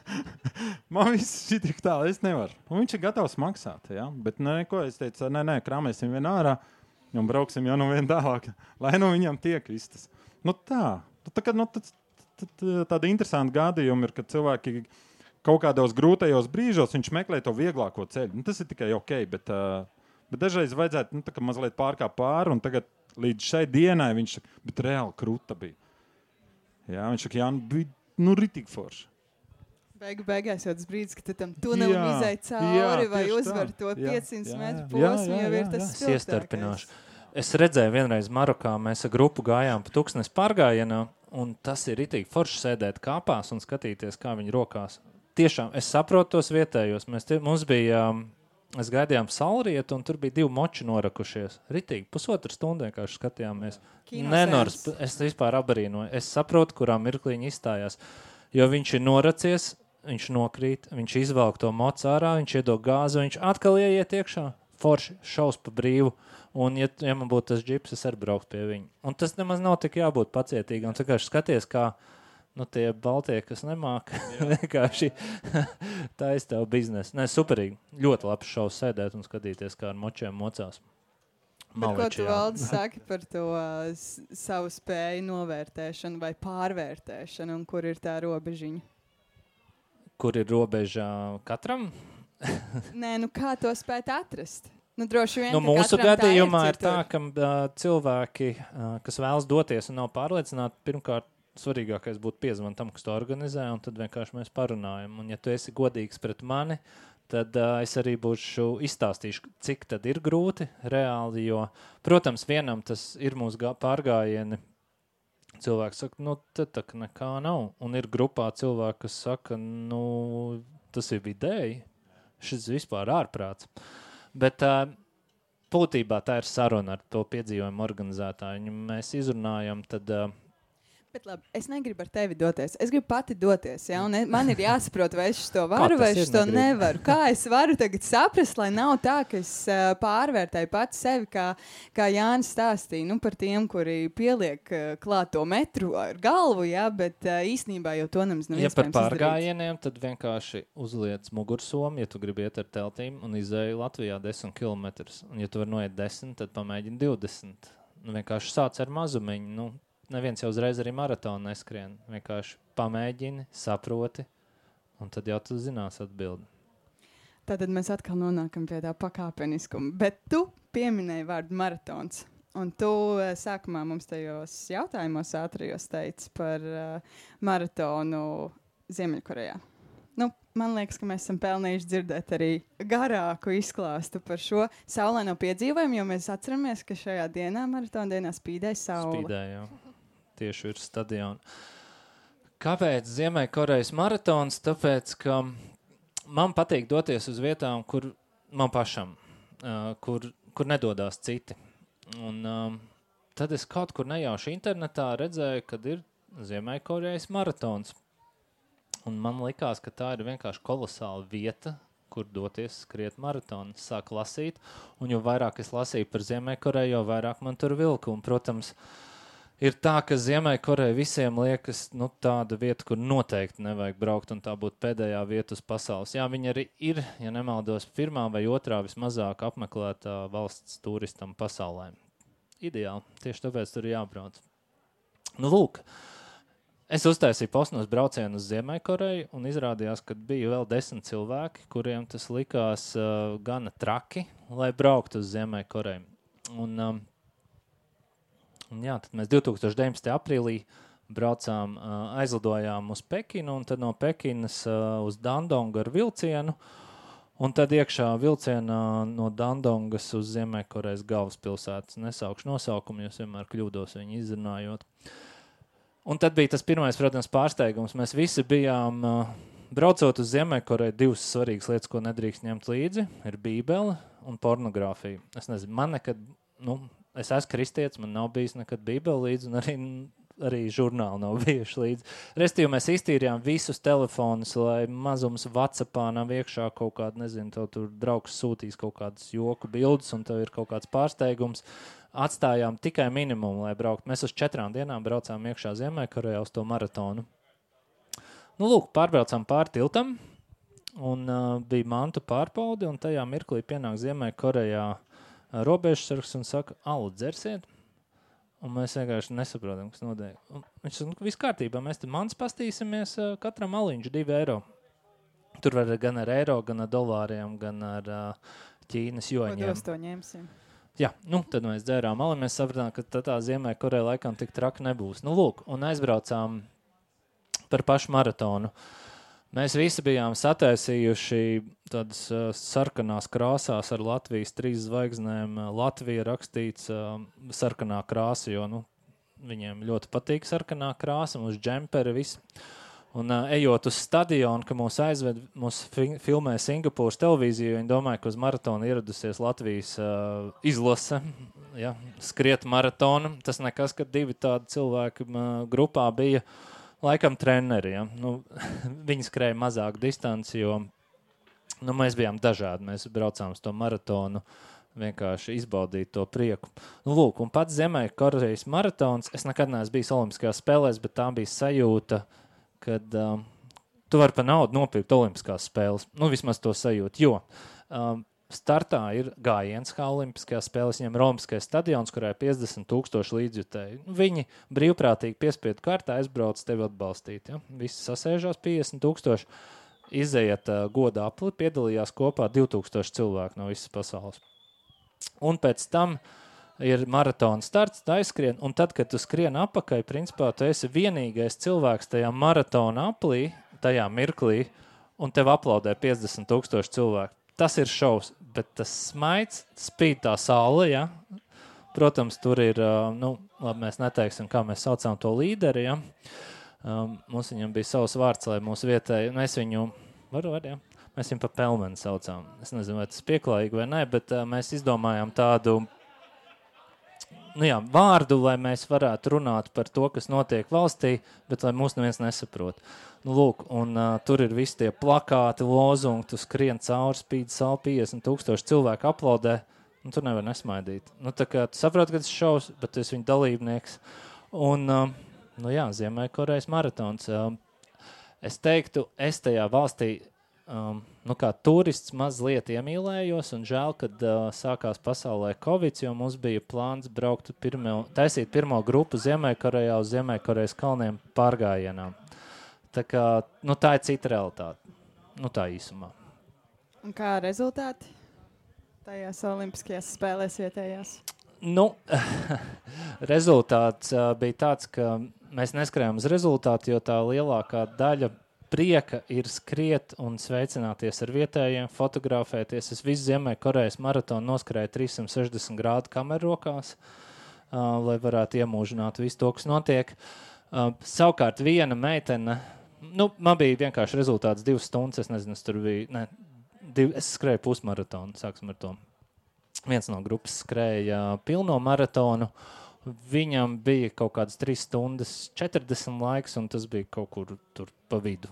Man viss šitik tā, es nevaru. Un viņš ir gatavs maksāt, jā, bet neko, es teicu, nē, nē, krāmēsim vien ārā, un brauksim jau nu vien tālāk, lai nu viņam tiek vistas. Nu tā, tā kā, nu, tad, tad, tāda interesanta gadījuma ir, kad cilvēki kaut kādos grūtajos brīžos viņš meklē to vieglāko ceļu. Nu, tas ir tikai ok, bet, uh, bet dažreiz vajadzētu nu, tā kā mazliet pārkāpt pāri, un tagad līdz šai dienai viņš bet reāli kruta bija. Jā, viņš saka, jā, nu, bija nu, ritīgi forši. Beigu beigās jau tas brīdis, ka tu tam tunelim izēj cauri vai uzvar to piecsimt metru posmu, jau ir tas spilgtākais. Es iestarpināšu. Es redzēju vienreiz Marokā, mēs ar grupu gājām pa Tuksnes pārgājienā, un tas ir ritīgi forši sēdēt kāpās un skatīties, kā viņi rokās. Tiešām, es saprotu tos vietējos. Mēs tie, mums bija, mēs gaidījām saulrietu, un tur bija divi moči norakušies. Ritīgi, pusotru stundu vienkārši skatījāmies. Nenors, es vispār abarīnoju. Es saprotu, kurā mirklī viņi izstājās. Jo viņš ir noracies, viņš nokrīt, viņš izvelk to mocu ārā, viņš iedod gāzi, viņš atkal ieiet iekšā. Forši, šaus pa brīvu. Un, ja, ja man būtu tas džips, es arī brauktu pie viņa. Un tas nemaz nav tik jābūt pacietīgam. Vienkārši skaties, kā nu, tie baltie, kas nemāk, vienkārši tā ir tev biznesa. Nē, superīgi. Ļoti labs šovs sēdēt un skatīties, kā ar močiem mocās. Bet ko tu, Valdis, saki par to uh, savu spēju novērtēšanu vai pārvērtēšanu, un kur ir tā robežiņa? Kur ir robeža katram? Nē, nu kā to spēt atrast? Nu, droši vien, nu, mūsu gadījumā tā ir, ir tā, ka uh, cilvēki, uh, kas vēlas doties un nav pārliecināti, pirmkārt, svarīgākais būtu piezvanīt tam, kas to organizē, un tad vienkārši mēs parunājam. Un ja tu esi godīgs pret mani, tad uh, es arī būšu izstāstīšu, cik tad ir grūti reāli, jo, protams, vienam tas ir mūsu gā, pārgājieni. Cilvēks saka, nu, tad tā nekā nav. Un ir grupā cilvēki, kas saka, nu, tas ir vidēji, šis vispār ārprāts. Bet uh, būtībā tā ir saruna ar to piedzīvojumu organizētāju. Mēs izrunājam, tad... Uh, Bet labi, es negribu ar tevi doties. Es gribu pati doties, ja? Un man ir jāsaprot, vai es to varu, vai es to nevaru. Kā es varu tagad saprast, lai nav tā, ka es uh, pārvērtēju pati sevi, kā, kā Jānis stāstīja, nu, par tiem, kuri pieliek uh, klāt to metru ar galvu, ja? Bet uh, īstenībā jau to nemaz nav ja iespējams par pārgājieniem, tad vienkārši uzliec mugursomu, ja tu gribi iet ar teltīm un izēju Latvijā desmit kilometrus. Un ja tu vari noiet desmit, tad pamēģini divdesmit. Nu, vienkārši sāc ar mazumiņu, nu, neviens jau uzreiz arī maratonu neskrien. Vienkārši pamēģini, saproti, un tad jau tu zinās atbildi. Tātad mēs atkal nonākam pie tā pakāpeniskuma. Bet tu pieminēji vārdu maratons. Un tu sākumā mums tajos jautājumos ātrajos teici par uh, maratonu Ziemeļkorejā. Nu, man liekas, ka mēs esam pelnījuši dzirdēt arī garāku izklāstu par šo saulaino piedzīvojumu, jo mēs atceramies, ka šajā dienā, maratona dienā, spīdēja saule. Spīdēja, jā. Tieši virs stadiona. Kāpēc Ziemeļkorejas maratons? Tāpēc, ka man patīk doties uz vietām, kur man pašam, uh, kur, kur nedodās citi. Un um, tad es kaut kur nejauši internetā redzēju, kad ir Ziemeļkorejas maratons. Un man likās, ka tā ir vienkārši kolosāla vieta, kur doties skriet maratonu. Sāk lasīt, un jo vairāk es lasīju par Ziemeļkoreju, jo vairāk man tur vilka. Un, protams, ir tā, ka Ziemeļkoreja visiem liekas nu, tāda vieta, kur noteikti nevajag braukt, un tā būtu pēdējā vieta uz pasaules. Jā, viņa arī ir, ja nemaldos, pirmā vai otrā vismazāk apmeklētā valsts turistam pasaulē. Ideāli, tieši tāpēc tur ir jābrauc. Nu, lūk, es uztaisīju posnos braucienu uz Ziemeļkoreju, un izrādījās, ka bija vēl desmit cilvēki, kuriem tas likās uh, gana traki, lai brauktu uz Ziemeļkoreju. Un, um, un jā, tad mēs divtūkstoš deviņpadsmitajā aprīlī braucām, uh, aizlidojām uz Pekinu, un tad no Pekinas uh, uz Dandongu ar vilcienu, un tad iekšā vilcienā no Dandongas uz Ziemeļkorejas galvaspilsētas. Nesaukšu nosaukumu, jo vienmēr kļūdos viņu izrunājot. Un tad bija tas pirmais, protams, pārsteigums. Mēs visi bijām, uh, braucot uz Ziemeļkoreju, divas svarīgas lietas, ko nedrīkst ņemt līdzi, ir bībele un pornogrāfija. Es nezinu, man nekad, nu, es esmu kristietis, man nav bijis nekad bībele līdzi, un arī, arī žurnāli nav bijuši līdzi. Restīvi mēs iztīrījām visus telefonus, lai mazums WhatsAppā nav iekšā kaut kāda, nezinu, tev tur draugs sūtīs kaut kādas joku bildes, un tev ir kaut kāds pārsteigums. Atstājām tikai minimumu, lai braukt. Mēs uz četrām dienām braucām iekšā Ziemeļkorejā uz to maratonu. Nu, lūk, pārbraucām pār tiltam, un uh, bija mantu pārpaudi, un tajā mirklī pienāk Ziemeļkorejā uh, robežsargs un saka, alu dzersiet? Un mēs vienkārši nesaprotam, kas notiek. Un viņš saka, nu, viss kārtībā, mēs te mans pastīsimies, uh, katram aliņš divi eiro. Tur var gan ar eiro, gan ar dolāriem, gan ar uh, Ķīnas joņiem. Ko to ņemsim? Jā, nu, tad mēs dzērām ali, mēs sapratām, ka tā, tā Ziemeļkoreja laikam tik traki nebūs. Nu, lūk, un aizbraucām par pašu maratonu. Mēs visi bijām sataisījuši tādas uh, sarkanās krāsās ar Latvijas trīs zvaigznēm. Latvija rakstīts uh, sarkanā krāsa, jo, nu, viņiem ļoti patīk sarkanā krāsa, mums džemperi, viss. Un uh, ejot uz stadionu, ka mūs aizved, mūs fi- filmē Singapūras televīziju, viņi domāja, ka uz maratonu ieradusies Latvijas uh, izlase, ja, skriet maratonu. Tas nekas, ka divi tādi cilvēki uh, grupā bija laikam treneri. Ja. Nu, viņi skrēja mazāku distanci, jo nu, mēs bijām dažādi. Mēs braucām uz to maratonu, vienkārši izbaudīt to prieku. Nu, lūk, un pats Ziemeļkorejas maratons, es nekad neesmu bijis Olimpiskajās spēlēs, bet tā bija sajūta, kad um, tu vari pa naudu nopirkt Olimpiskās spēles. Nu, vismaz to sajūtu, jo um, startā ir gājiens kā Olimpiskajās spēles, viņam ir Olimpiskais stadions, kurā ir piecdesmit tūkstoši līdzjutēji. Viņi brīvprātīgi piespiedu kārtā aizbrauc tevi atbalstīt. Ja? Visi sasēžās piecdesmit tūkstoši, izejiet uh, goda apli, piedalījās kopā divi tūkstoši cilvēku no visas pasaules. Un pēc tam ir maratona starts, tā aizskrien, un tad, kad tu skrien apakai, principā tu esi vienīgais cilvēks tajā maratona aplī, tajā mirklī, un tev aplaudē piecdesmit tūkstoši cilvēku. Tas ir šovs, bet tas smaids, spīd tā saule, ja? Protams, tur ir, nu, labi, mēs neteiksim, kā mēs saucām to līderi, ja? Um, mums viņam bija savs vārds, lai mūsu vietēji, mēs viņu, varu, var, ja? Mēs viņu pa pelmeni saucām. Es nezinu, vai tas pieklājīgi vai ne, bet uh, mēs izdomājām tādu, nu jā, vārdu, lai mēs varētu runāt par to, kas notiek valstī, bet lai mūs neviens nesaprot. Nu, lūk, un uh, tur ir visi tie plakāti, lozungi, tu skrien cauri, spīd savu piecdesmit tūkstoši cilvēku aplaudē, un tur nevar nesmaidīt. Nu, tā kā tu saproti, ka tas šovs, bet tu esi viņa dalībnieks. Un, uh, nu jā, Ziemeļkorejas maratons. Uh, es teiktu, es tajā valstī, Um, nu kā turists mazliet iemīlējos, un žēl, kad uh, sākās pasaulē Covid, jo mums bija plāns braukt pirmo, taisīt pirmo grupu Ziemeļkorejā uz Ziemeļkorejas kalniem pārgājienām. Tā kā, nu tā ir cita realitāte. Nu tā īsumā. Un kā rezultāti tajās Olimpiskajās spēlēs vietējās? Nu, rezultāts uh, bija tāds, ka mēs neskrējām uz rezultātu, jo tā lielākā daļa prieka ir skriet un sveicināties ar vietējiem, fotografēties. Es visu Ziemeļkorejas maratonu noskrēju trīssimt sešdesmit grādu kameru rokās, uh, lai varētu iemūžināt visu to, kas notiek. Uh, savukārt viena meitene, nu, man bija vienkārši rezultāts divas stundas, es nezinu, es tur biju, ne, div, es skrēju pusmaratonu, sāksim ar to. Viens no grupas skrēja uh, pilno maratonu, viņam bija kaut kādas trīs stundas četrdesmit laiks, un tas bija kaut kur tur pa vidu.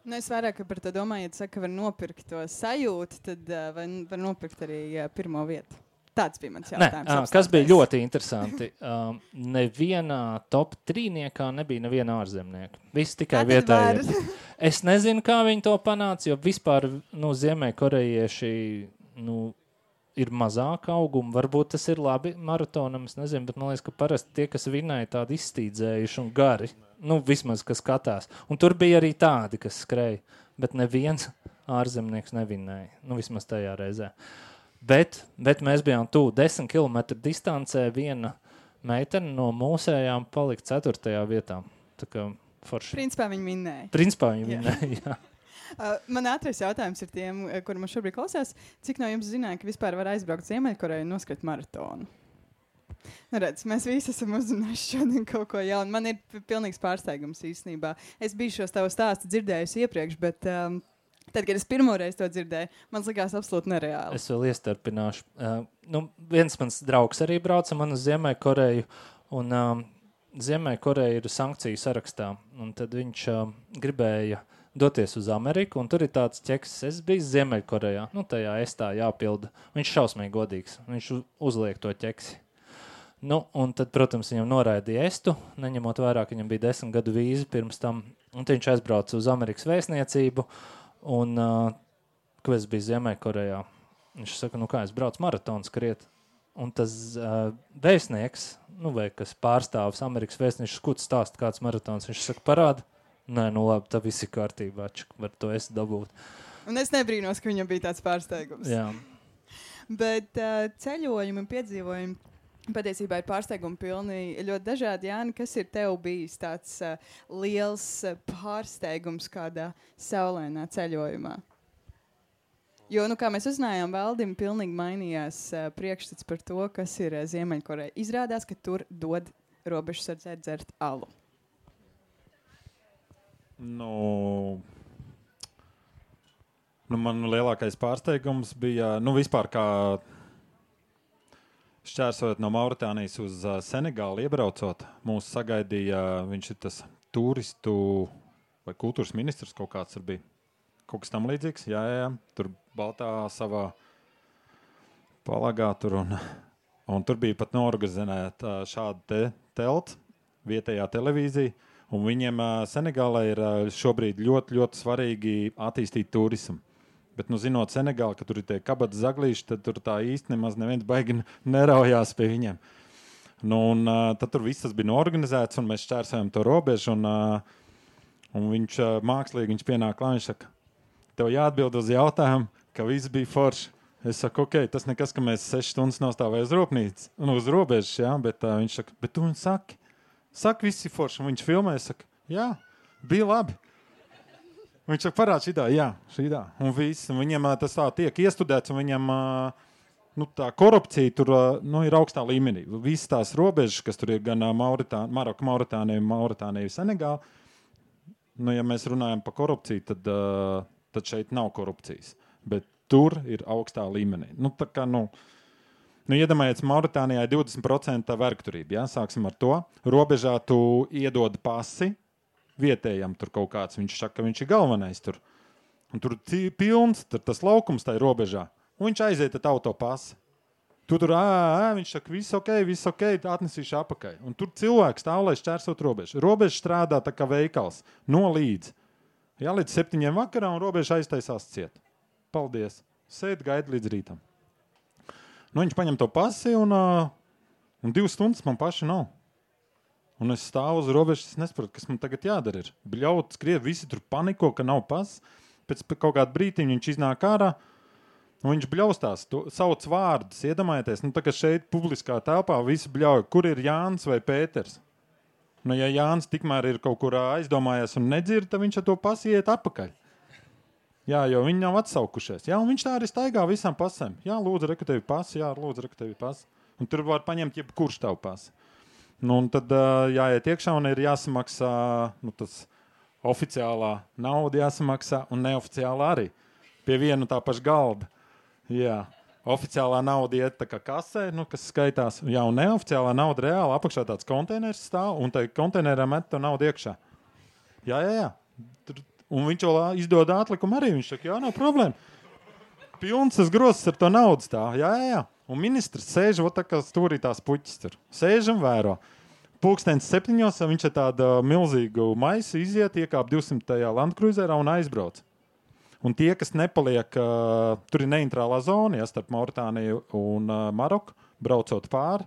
Nu, es vairāk par to domāju, ja tu saki, ka var nopirkt to sajūtu, tad uh, var, var nopirkt arī uh, pirmo vietu. Tāds bija mans jautājums. Ne, kas bija ļoti interesanti. Um, nevienā top trīniekā nebija neviena ārzemnieka. Visi tikai vietējie. Es nezinu, kā viņi to panāca, jo vispār nu, Ziemeļkorejieši nu, ir mazāk auguma. Varbūt tas ir labi maratonam, es nezinu, bet man liekas, ka parasti tie, kas vinēja, tādi izstīdzējuši un gari. Nu, vismaz, kas skatās. Un tur bija arī tādi, kas skrēja, bet neviens ārzemnieks nevinēja. Nu, vismaz tajā reizē. Bet, bet mēs bijām tuvu desmit kilometru distancē, viena meitene no mūsējām palika ceturtajā vietā. Tā kā forši. Principā viņi minēja. Principā viņi minēja, jā. Uh, man ātrais jautājums ir tiem, kuri man šobrīd klausās. Cik no jums zināja, ka vispār var aizbraukt Ziemeļkoreju un noskriet maratonu? Nu, redz, mēs visi esam uzzinājuši šodien kaut ko jaunu. Man ir pilnīgs pārsteigums īstenībā. Es biju šos tavu stāstu dzirdējusi iepriekš, bet... Um, Tad, kad es pirmoreiz to dzirdēju, man likās absolūti nereāli. Es vēl iestarpināšu. Uh, nu, viens mans draugs arī brauca man uz Ziemeļkoreju, un um, Ziemeļkoreja ir sankciju sarakstā. Un tad viņš uh, gribēja doties uz Ameriku, un tur ir tāds ķeks, es biju Ziemeļkorejā. Nu, tajā estā jāpilda. Viņš šausmīgi godīgs. Viņš uzliek to ķeksi. Nu, un tad, protams, viņam noraidīja estu, neņemot vairāk, viņam bija desmit gadu vīzi pirms tam. Un tad viņš aizbrauca uz Amerikas vēstniecību. Un, uh, kad es biju Ziemeļkorejā, viņš saka, nu kā es braucu maratonu skriet. Un tas uh, vēstnieks, nu vai kas pārstāvis Amerikas vēstnieks, ko tu stāst, kāds maratons, viņš saka, parāda. Nē, nu labi, tā viss ir kārtībā, čak, var to es dabūt. Un es nebrīnos, ka viņam bija tāds pārsteigums. Jā. Bet uh, ceļojumi un piedzīvojumi patiesībā ir pārsteigumi pilni ļoti dažādi. Jāni, kas ir tev bijis tāds uh, liels uh, pārsteigums kādā saulēnā ceļojumā? Jo, nu, kā mēs uzzinājām, Valdim pilnīgi mainījās uh, priekšstats par to, kas ir uh, Ziemeļkoreja. Izrādās, ka tur dod robežsardzē dzert alu. Nu, nu, man lielākais pārsteigums bija, nu, vispār kā šķērsojot no Mauritānijas uz uh, Senegālu iebraucot, mūs sagaidīja, viņš ir tas turistu vai kultūras ministrs kaut kāds tur bija. Kaut kas tam līdzīgs, jā, jā, jā. Tur baltā savā palagā tur un, un tur bija pat noorganizēta uh, šāda te telts, vietējā televīzija, un viņiem uh, Senegālē ir uh, šobrīd ļoti, ļoti svarīgi attīstīt turismu. Bet, nu, zinot Senegālu, ka tur ir tie kabata zaglīši, tad tur tā īsti nemaz neviens baigi neraujās pie viņiem. Nu, un uh, tad tur viss tas bija noorganizēts, un mēs šķērsējām to robežu, un, uh, un viņš uh, mākslīgi, viņš pienāk klāt, viņš saka, tev jāatbild uz jautājumu, ka viss bija forši. Es saku, ok, tas nekas, ka mēs sešas stundas nostāvēja uz rūpnīcas, nu, uz robežas, jā, bet uh, viņš saka, bet tu man saki, saki, viss ir forši, un viņš filmē, saka, jā, bija labi. Viņš saka, parād šitā, jā, šitā, un viss, un viņam tas tā tiek iestudēts, un viņam, nu, tā korupcija tur, nu, ir augstā līmenī. Visas tās robežas, kas tur ir gan Mauritānija, Maroka, Mauritānija, Mauritānija, Senegāla, nu, ja mēs runājam par korupciju, tad, tad šeit nav korupcijas, bet tur ir augstā līmenī. Nu, tā kā, nu, nu iedomājies, Mauritānijā ir divdesmit procenti vērkturība, jā, sāksim ar to. Robežā tu iedod pasi, vietējam tur kaut kāds, viņš saka, ka viņš ir galvenais tur. Un tur ir pilns, tur tas laukums tai robežā. Un viņš aiziet ar auto pasi. Tu tur, ā, ā, viņš saka, viss ok, viss ok, atnesīšu apakai. Un tur cilvēks stāv, lai šķērsot robežu. Robeža strādā tā kā veikals, no līdz. Jā, līdz septiņiem vakarā, un robeža aiztaisās ciet. Paldies. Sēd, gaida līdz rītam. Nu, viņš paņem to pasi, un, un divas stundas man paši nav. Un es stāvu uz robežas, es nesaprotu, kas man tagad jādara ir. Bļaut, skriet, visi tur paniko, ka nav pas. Pēc kaut kādu brītiņu viņš iznāk ārā, un viņš bļaustās, to, sauc vārdus, iedomājieties. Nu, tā kā šeit publiskā telpā visi bļauj, kur ir Jānis vai Pēters. Nu, ja Jānis tikmēr ir kaut kur aizdomājies un nedzird, tad viņš ar to pasi iet atpakaļ. Jā, jo viņi nav atsaukušies. Jā, un viņš tā arī staigā visām pasēm. Jā, lūdzu, reku tevi pasi, jā, lūdzu, reku tevi pasi. Un tur var paņemt jebkurš tavu pasi. Nu, un tad uh, jāiet iekšā un ir jāsamaksā, nu, tas oficiālā nauda jāsamaksā un neoficiālā arī. Pie vienu tā paša galda. Jā, oficiālā nauda iet tā kā kasē, nu, kas skaitās. Jā, un neoficiālā nauda reāli apakšā tāds konteiners stāv un tai konteinerā met to naudu iekšā. Jā, jā, jā. Tur Un viņš vēl izdod atlikumu arī. Viņš saka, jā, nav problēma. Pilns tas grozs ar to naudas tā. Jā, jā, jā. Un ministrs sēž, ot tā kā stūrītās puķis tur. Sēž un vēro. Pulkstens septiņos viņš ar tādu milzīgu maisu iziet, iekāp divsimtajā landkruizerā un aizbrauc. Un tie, kas nepaliek, uh, tur ir neintrālā zona, ja, starp Mauritāniju un uh, Maroku, braucot pāri,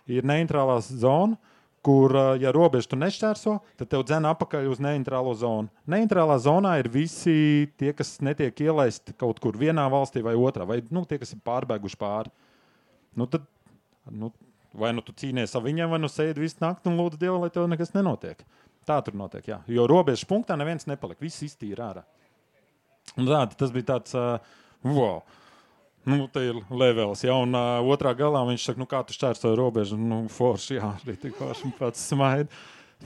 ir neintrālā zona, kur, ja robežu tu nešķērso, tad tev dzen apakaļ uz neintrālo zonu. Neintrālā zonā ir visi tie, kas netiek ielaisti kaut kur vienā valstī vai otrā, vai nu, tie, kas ir pārbēguši pāri. Nu, tad, nu, vai nu tu cīnies ar viņiem, vai nu sēdi visu nakti un lūdzu Dievu, lai tev nekas nenotiek. Tā tur notiek, jā. Jo robežu punktā neviens nepaliek, viss iztīra ārā. Un tā, tas bija tāds, uh, wow. Nu, te ir levels, ja, un uh, otrā galā viņš saka, nu, kā tu šķērsoji robežu, nu, forši, jā, arī tik forši pats smaida.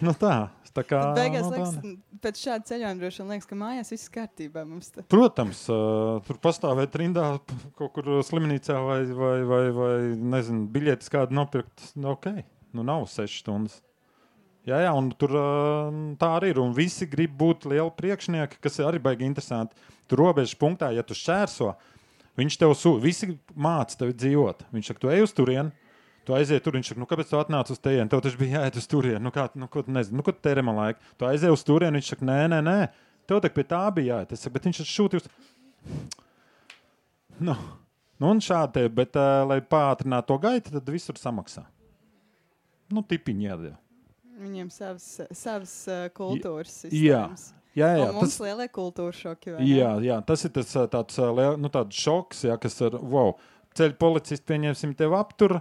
Nu, tā, tā kā... Tad beigās, nu, liekas, tā, pēc šāda ceļojuma droši vien liekas, ka mājās viss kārtībā mums te. Protams, uh, tur pastāvēt rindā kaut kur slimnīcā vai, vai, vai, vai nezinu, biļetes kādu nopirkt, nu, ok, nu, nav sešas stundas. Jā, jā, un tur uh, tā arī ir, un visi grib būt lieli priekšnieki, kas arī baigi interesanti. Tur robežas punktā, ja tu šķērso, viņš tev sū, visi māca tevi dzīvot. Viņš saka, tu ej uz turienu, tu aiziet tur, viņš saka, nu kāpēc tu atnāc uz tejienu? Tev taču bija jāiet uz turienu, nu kā, nu ko tu nezinu, nu ko tu tērē man laiku? Tu aiziet uz turienu, viņš saka, nē, nē, nē, tev tak pie tā bija jāiet. Es saku, bet viņš šūti uz... Nu, nu un šādi te, bet, uh, lai pātrinātu to gaitu, tad visur samaksā. Nu, tipiņi jādēļ. Viņiem savas, savas uh, kultūras Jā. sistēmas. Jā, jā, un mums tas... lielie kultūra šoki, vai Jā, jā, tas ir tas tāds, nu, tāds šoks, jā, kas ar, wow, ceļu policisti pieņemsim tev aptur,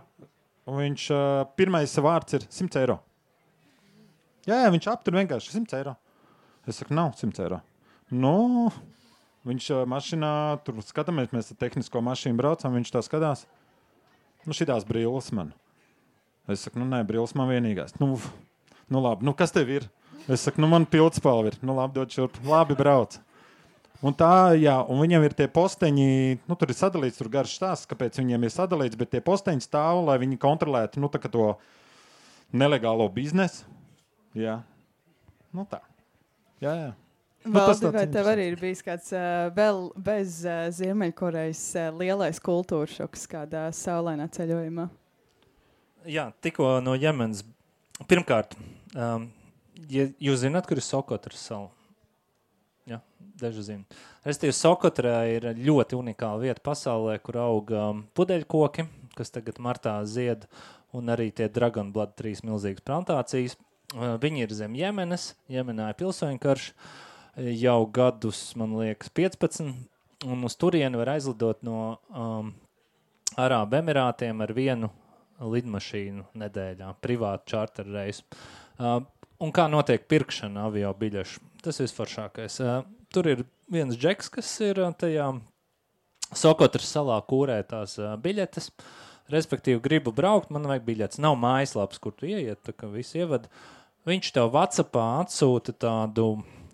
un viņš, uh, pirmais vārds ir simts eiro. Jā, jā, viņš aptur vienkārši simts eiro. Es saku, nav simts eiro. Nu, viņš uh, mašinā, tur skatāmies, mēs ar tehnisko mašīnu braucam, viņš tā skatās. Nu, šitās brilles man. Es saku, nu, nē, brilles man vienīgās. Nu, nu labi, nu, kas tev ir? Es saku, nu, man pildspalva ir. Nu, labi, dod šurp. Labi, brauc. Un tā, jā, un viņam ir tie posteņi, nu, tur ir sadalīts, tur garš stāsts, kāpēc viņiem ir sadalīts, bet tie posteņi stāv, lai viņi kontrolētu, nu, tā kā to nelegālo biznesu. Jā. Nu, tā. Jā, jā. Nu, Valdi, vai tev arī ir bijis kāds uh, vēl bez uh, Ziemeļkorejas uh, lielais kultūra šoks kādā saulainā ceļojumā? Jā, tikko no Jemenas. Pirmkārt, um, ja jūs zināt, kur ir Sokotras sala? Jā, daži zina. Restīvi, Sokotrā ir ļoti unikāla vieta pasaulē, kur aug um, pudeļkoki, kas tagad martā zied, un arī tie Dragon Blood trīs milzīgas plantācijas. Uh, viņi ir zem Jemenas, Jemenā ir pilsoņu karš, jau gadus, man liekas, piecpadsmit, un uz turieni var aizlidot no um, Arābu Emirātiem ar vienu lidmašīnu nedēļā, privātu čārter reisu. Uh, Un kā notiek pirkšana avio biļešu? Tas visforšākais. Uh, tur ir viens džeks, kas ir uh, tajā Sokotras salā kūrē tās uh, biļetes. Respektīvi, gribu braukt, man vajag biļetes. Nav mājaslaps, kur tu ieiet, tā kā visi ievad. Viņš tev WhatsAppā atsūta tādu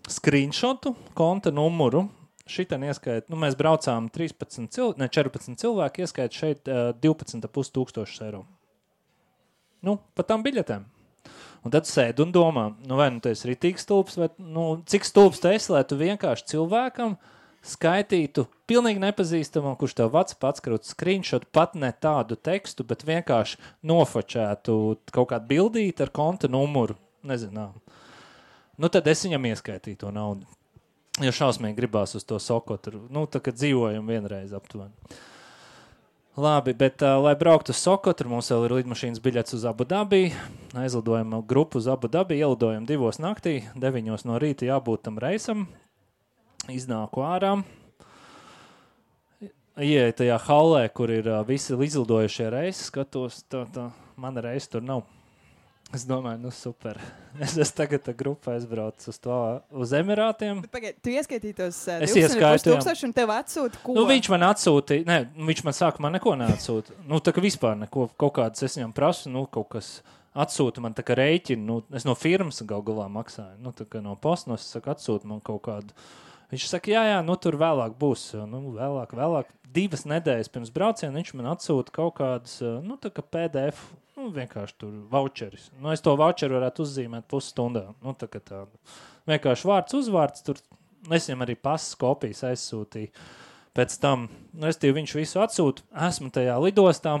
screenshotu, konta numuru. Šitan ieskait, nu mēs braucām trīspadsmit cilvēki, ne četrpadsmit cilvēki, ieskait šeit uh, divpadsmit ar pus tūkstošus eiro. Nu, pa tām biļetēm. Un tad sēd un domā, nu vai nu tu esi ritīgs stulbs, vai nu, cik stulbs tu esi, lai tu vienkārši cilvēkam skaitītu pilnīgi nepazīstamam, kurš tev vats pats krūt screenshot, pat ne tādu tekstu, bet vienkārši nofočētu kaut kādu bildīti ar konta numuru, nezinām. Nu tad es viņam ieskaitīju to naudu, jo šausmīgi gribās uz to Sokotru, nu tā kā dzīvojam vienreiz aptuveni. Labi, bet, uh, lai brauktu uz Sokotru, mums vēl ir lidmašīnas biļets uz Abu Dabi. Aizlidojam grupu uz Abu Dabi, ielidojam divos naktī, deviņos no rīta jābūt tam reisam. Iznāku ārā. Ieeju tajā hallē, kur ir uh, visi izlidojušie reisi, skatos, tā, tā, mana reisa tur nav. Es domāju, nu super. Es esmu tagad tā grupā aizbraucis uz to, uz Emirātiem. Bet pagaid, tu ieskaitīji tos uh, Es divdesmit ieskaitu, tūkstoši un tev atsūta ko? Nu, viņš man atsūtīja, ne, viņš man sāka man neko neatsūta. Nu, tā kā vispār neko, kaut kādas es viņam prasu, nu, kaut kas atsūta man tā kā rēķinu, nu, es no firmas gal galā maksāju, nu, tā kā no postnos, es saku, atsūta man kaut kādu. Viņš saka, jā, jā, nu, tur vēlāk būs, nu, vēlāk, vēlāk. Divas nedēļas pirms brauciena viņš man atsūta kaut kādas, nu, tā kā P D F, nu, vienkārši tur voucheris. Nu, es to voucheru varētu uzzīmēt pusstundā, nu, tā kā tādu. Vienkārši vārds uzvārds tur, Es viņam arī pasas kopijas aizsūtīju. Pēc tam, nu, es tev viņš visu atsūtu, esmu tajā lidostā,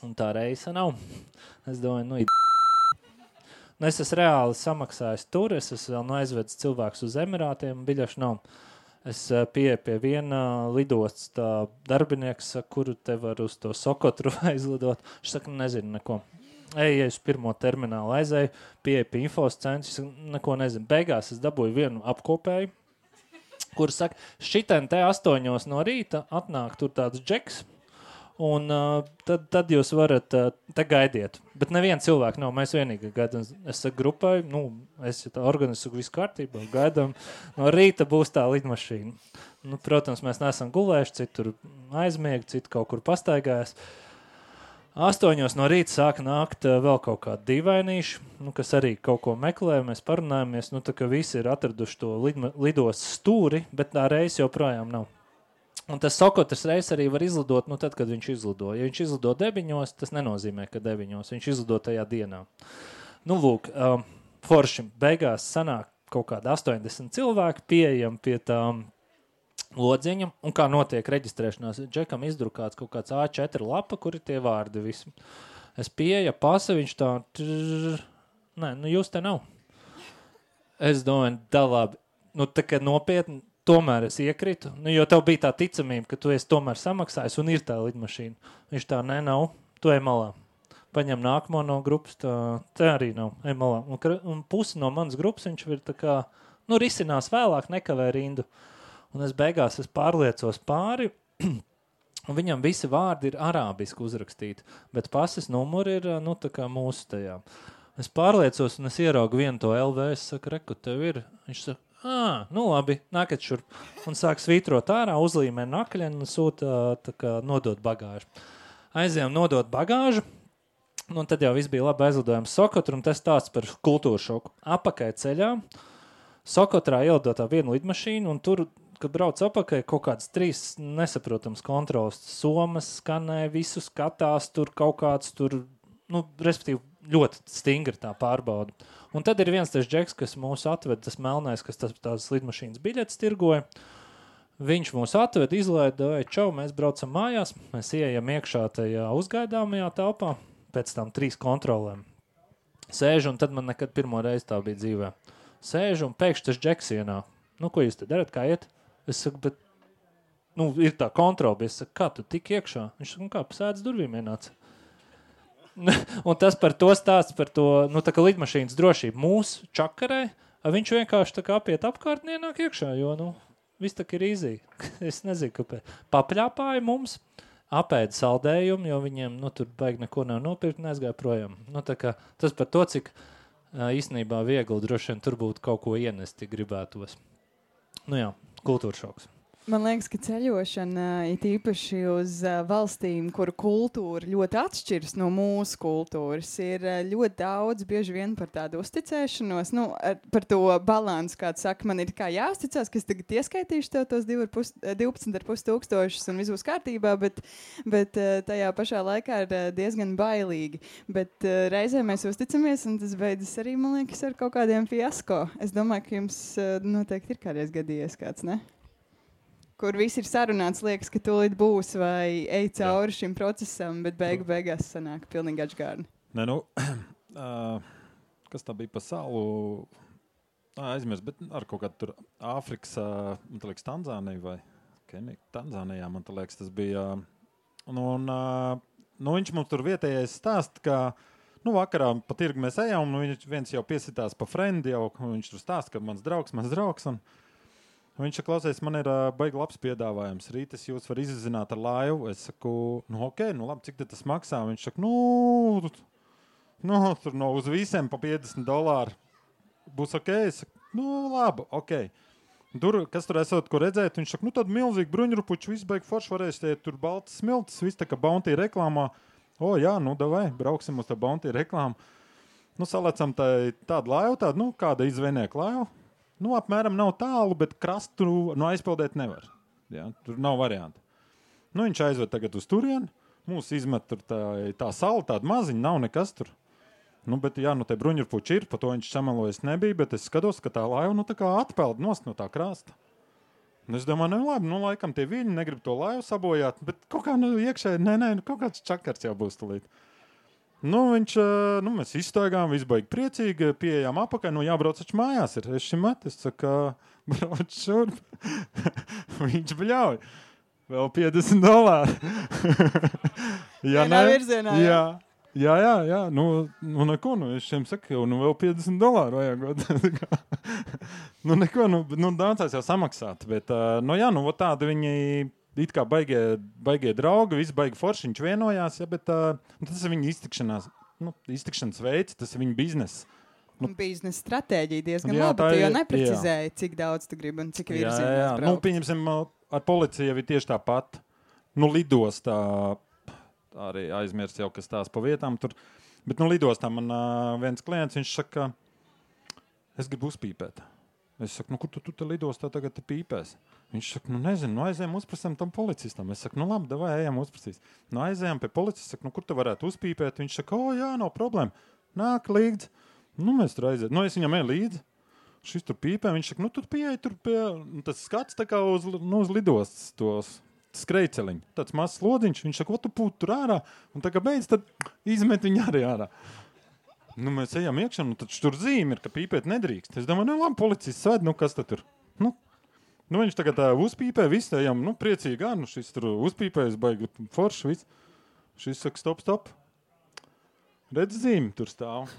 un tā reisa nav. Es domāju, nu, nu es esmu reāli samaksājis tur, es esmu vēl nu aizvedis cilvēkus uz Emirātiem, biļešu nav. Es pieeju pie viena lidostas tā darbinieks, kuru te var uz to Sokotru aizlidot. Viņš saka, nezinu neko. Ej, ja uz pirmo terminālu aizēju, pieeju pie infos centrs, neko nezinu. Beigās es dabūju vienu apkopēju, kur saka, šitien te astoņos no rīta atnāk tur tāds džeks, un uh, tad, tad jūs varat uh, te gaidiet. Bet neviena cilvēka nav, mēs vienīgi gaidām. Es saku grupai, nu, es tā organizu visu kārtībā, gaidām, no rīta būs tā lidmašīna. Nu, protams, mēs neesam gulējuši, citur aizmiegi, citu kaut kur pastaigājas. Astoņos no rīta sāka nākt uh, vēl kaut kādi dīvainīši, nu, kas arī kaut ko meklē, mēs parunājamies, nu, tā ka visi ir atraduši to lidma, lidos stūri, bet tā reis joprojām nav. Un tas Sokotras reis arī var izlidot, nu, tad, kad viņš izlido. Ja viņš izlido deviņos, tas nenozīmē, ka deviņos, viņš izlido tajā dienā. Nu, lūk, um, forši beigās sanāk kaut kādi astoņdesmit cilvēki pieejam pie tām lodziņam, un kā notiek reģistrēšanās. Džekam izdrukāts kaut kāds A četri lapa, kur ir tie vārdi visi. Es pieeja pasa, viņš tā... Trrr, nē, nu jūs te nav. Es domāju, da labi. Nu, tā kā nopietni, tomēr es iekritu, nu, jo tev bija tā ticamība, ka tu esi tomēr samaksājis un ir tā lidmašīna. Viņš tā, nē, nav, tu ej malā. Paņem nākamo no grupas, tā, tā arī nav, ej malā. Un, un pusi no manas grupas viņš ir tā kā, nu, risinās vēlāk, nekavē rindu. Un es beigās es pārliecos pāri, un viņam visi vārdi ir arābiski uzrakstīti, bet pases numuri ir, nu, tā kā mūsu tajā. Es pārliecos, un es ieraugu vienu to L V, es saku, reku, tev ir. Viņš saka, ā, nu labi, nākat šurp. Un sāk svītrot ārā, uzlīmē nakļeni un sūta, tā kā, nodot bagāžu. Aizējām nodot bagāžu, un tad jau viss bija labi aizlidojums Sokotru, un tas tāds par kultūru šoku. Apakai ceļā, Sokotrā ielidotā viena lidmašīna, un tur, kad brauc apakai, kaut kādas trīs nesaprotams kontrols. Somas skanē, visu skatās, tur kaut kāds tur, nu, respektīvi, ļoti stingri tā pārbauda. Un tad ir viens tas džeks, kas mūs atved, tas melnais, kas tas, tās lidmašīnas biļetes tirgoja. Viņš mūs atved, izlaida, čau, mēs braucam mājās, mēs ieejam iekšā tajā uzgaidāmajā telpā, pēc tam trīs kontrolēm. Sēžu, un tad man nekad pirmo reizi tā bija dzīvē. Sēžu, un pēkšņi tas džeks ienāk. Nu, ko jūs te darat, kā iet? Es saku, bet, nu, ir tā kontrola, bet es saku, kā tu tik iekšā? Viņš saka, nu kā, pasēdz durvīm ienāca. Un tas par to stāsts, par to, nu, tā kā lidmašīnas drošību mūsu čakarē, viņš vienkārši tā kā apiet apkārt un ienāk iekšā, jo, nu, viss tā kā ir īzī. Es nezinu, kāpēc. Papļāpāja mums, apēda saldējumu, jo viņiem, nu, tur baigi neko nav nopirkt un aizgāja projām. Nu, tā kā tas par to, cik īstenībā viegli droši vien tur būtu kaut ko ienesti gribētos. Nu jā, kultūra šoks. Man liekas, ka ceļošana ir īpaši uz valstīm, kuru kultūra ļoti atšķiras no mūsu kultūras. Ir ļoti daudz bieži vien par tādu uzticēšanos, nu, par to balansu, kāds saka, man ir kā jāuzticās, ka es tagad ieskaitīšu tev tos divpadsmit ar pus tūkstošus un viss būs kārtībā, bet, bet tajā pašā laikā ir diezgan bailīgi. Bet reizē mēs uzticamies, un tas beidzas arī, man liekas, ar kaut kādiem fiasko. Es domāju, ka jums noteikti ir kādreiz gadījies kāds, ne? Kur viss ir sarunāts, liekas, ka tūlīt būs vai ej cauri Jā. Šim procesam, bet beigu beigās sanāk pilnīgi atžgārni. Nē, nu, uh, kas tā bija pa salu? Ā, aizmirst, bet ar kaut kādu tur Āfrikas, uh, man tā liekas, Tanzānija vai Kenija, Tanzānijā, man tā liekas, tas bija. Un, un uh, nu, viņš mums tur vietējais stāst, ka, nu, vakarā pa tirgu mēs ejam, un viņš viens jau piesitās pa frendi, jau viņš tur stāst, ka mans draugs, mans draugs, un viņš saka, klausies, man ir uh, baigi labs piedāvājums. Rīt es jūs varu izzināt ar laivu. Es saku, nu ok, nu labi, cik tas maksā? Viņš saka, nu, nu tur no uz visiem pa piecdesmit dolāri. Būs ok? Es saku, nu labi, ok. Tur, kas tur esot, ko redzēt? Viņš saka, nu tad milzīgi bruņurupuči, viss baigi forši varēs, tie tur baltas smiltas, viss tā kā Bounty reklāmā. O jā, nu davai, brauksim uz tā Bounty reklāmu. Nu salecam tā, tādu laivu, tādu, nu kāda izvēnieku laivu. Nu, apmēram nav tālu, bet krastu nu, aizpildēt nevar. Ja? Tur nav varianti. Nu, viņš aizved tagad uz turieni. Mūs izmet tur tā, tā sala, tāda maziņa, nav nekas tur. Nu, bet, jā, nu, te bruņurpuči ir, pa to viņš samelojas nebija, bet es skatos, ka tā laiva, nu, tā kā atpeld nost no tā krasta. Un es domāju, nu, labi, nu, laikam tie viļņi negrib to laivu sabojāt, bet kaut kā, nu, iekšēji, nē, nē, nu, kaut kāds čakars jau būs tulīt. Nu, viņš, nu, mēs izstaigām, viss baigi priecīgi, pieejām apakaļ, nu, jābrauc taču mājās ir. Es šim met, es saku, brauc šurp. Viņš bļauj. Vēl piecdesmit dolāri. Ja Vienā virzienā, jā. jā. Jā, jā, jā, nu, nu neko, nu, es šiem saku, jau, nu, vēl piecdesmit dolāri vajag. nu, neko, nu, nu, daudzās jau samaksāt, bet, uh, nu, jā, nu, tādi viņi it kā baigie, baigie draugi, visi baigi forši, viņš vienojās, ja, bet uh, tas ir viņa iztikšanās, nu, iztikšanas veids, tas ir viņa biznes. Nu, biznesa stratēģija diezgan jā, labi, tu jau neprecizēji, jā. Cik daudz tu gribi un cik virzienās braukt. Jā, jā, nu, pieņemsim, ar policiju ir tieši tāpat, nu, lidostā, arī aizmirst jau, kas tās pa vietām tur. Bet, nu, lidostā man uh, viens klients, viņš saka, es gribu uzpīpēt. Es saku, nu, kur tu, tu te lidostā tagad te pīpēs? Viņš saka, nu, nezinu, nu, aizējām uzprasam tam policistam. Es saku, nu, labi, davai, ejam uzprasīs. Nu, aizējām pie policista, saku, nu, kur tu varētu uzpīpēt? Viņš saka, o, jā, nav problēma. Nāk līdzi. Nu, mēs tur aizējām. Nu, es viņam eju līdzi. Šis tur pīpē. Viņš saka, nu, tur pieeja, tur pie... Nu, tas skats tā kā uz, nu, uz lidostas tos... skrejceliņi, tāds mazs slodziņš, viņš saka, ko tu pūt tur ārā, un tā kā beidz, tad izmet viņu arī ārā. Nu, mēs ejam iekšā, nu, tad tur zīme ir, ka pīpēt nedrīkst. Es domāju, nu, labi, policists sved, nu, kas tad tur? Nu, nu viņš tagad tā uzpīpē, viss ejam, nu, priecīgi, nu, šis tur uzpīpējas, baigi forši, viss. Šis saka, stop, stop. Redz zīme, tur stāv.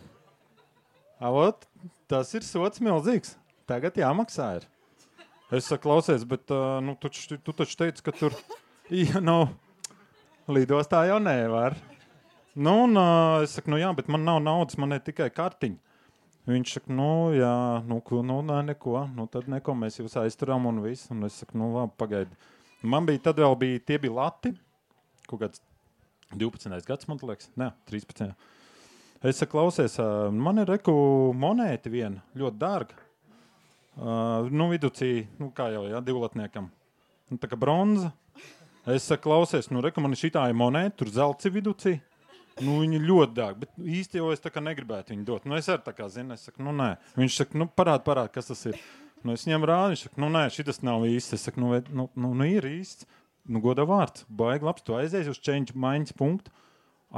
Avot, tas ir sots milzīgs. Tagad jāmaksā ir. Es saku, klausies, bet uh, nu, tu, tu taču teici, ka tur ja, nu, lidostā jau nevar. Nu, un uh, es saku, nu jā, bet man nav naudas, man ir tikai kartiņa. Viņš saka, nu jā, nu, nu nē, neko, nu tad neko, mēs jūs aizturam un viss. Un es saku, nu labi, pagaidi. Man bija, tad vēl bija, tie bija lati, kaut kāds divpadsmitais gads, man liekas, ne, trīspadsmit. Es saku, klausies, uh, man ir reku monēti viena, ļoti dārga. Uh, nu, viducī, nu, kā jau, jā, divlatniekam. Nu, tā kā bronza. Es saku, klausies, nu, reku, man šitā ir monēta, tur zelts viducī. Nu, viņi ļoti dārgi, bet īsti jau es tā kā negribētu viņu dot. Nu, es arī tā kā zinu, es saku, nu, nē. Viņš saka, nu, parād, parād, kas tas ir. Nu, es viņam rādu, viņš saka, nu, nē, šitas nav īsts. Es saku, nu, nu, nu, nu ir īsts. Nu, godā vārds, baigi labs, tu aizies uz change maiņas punktu,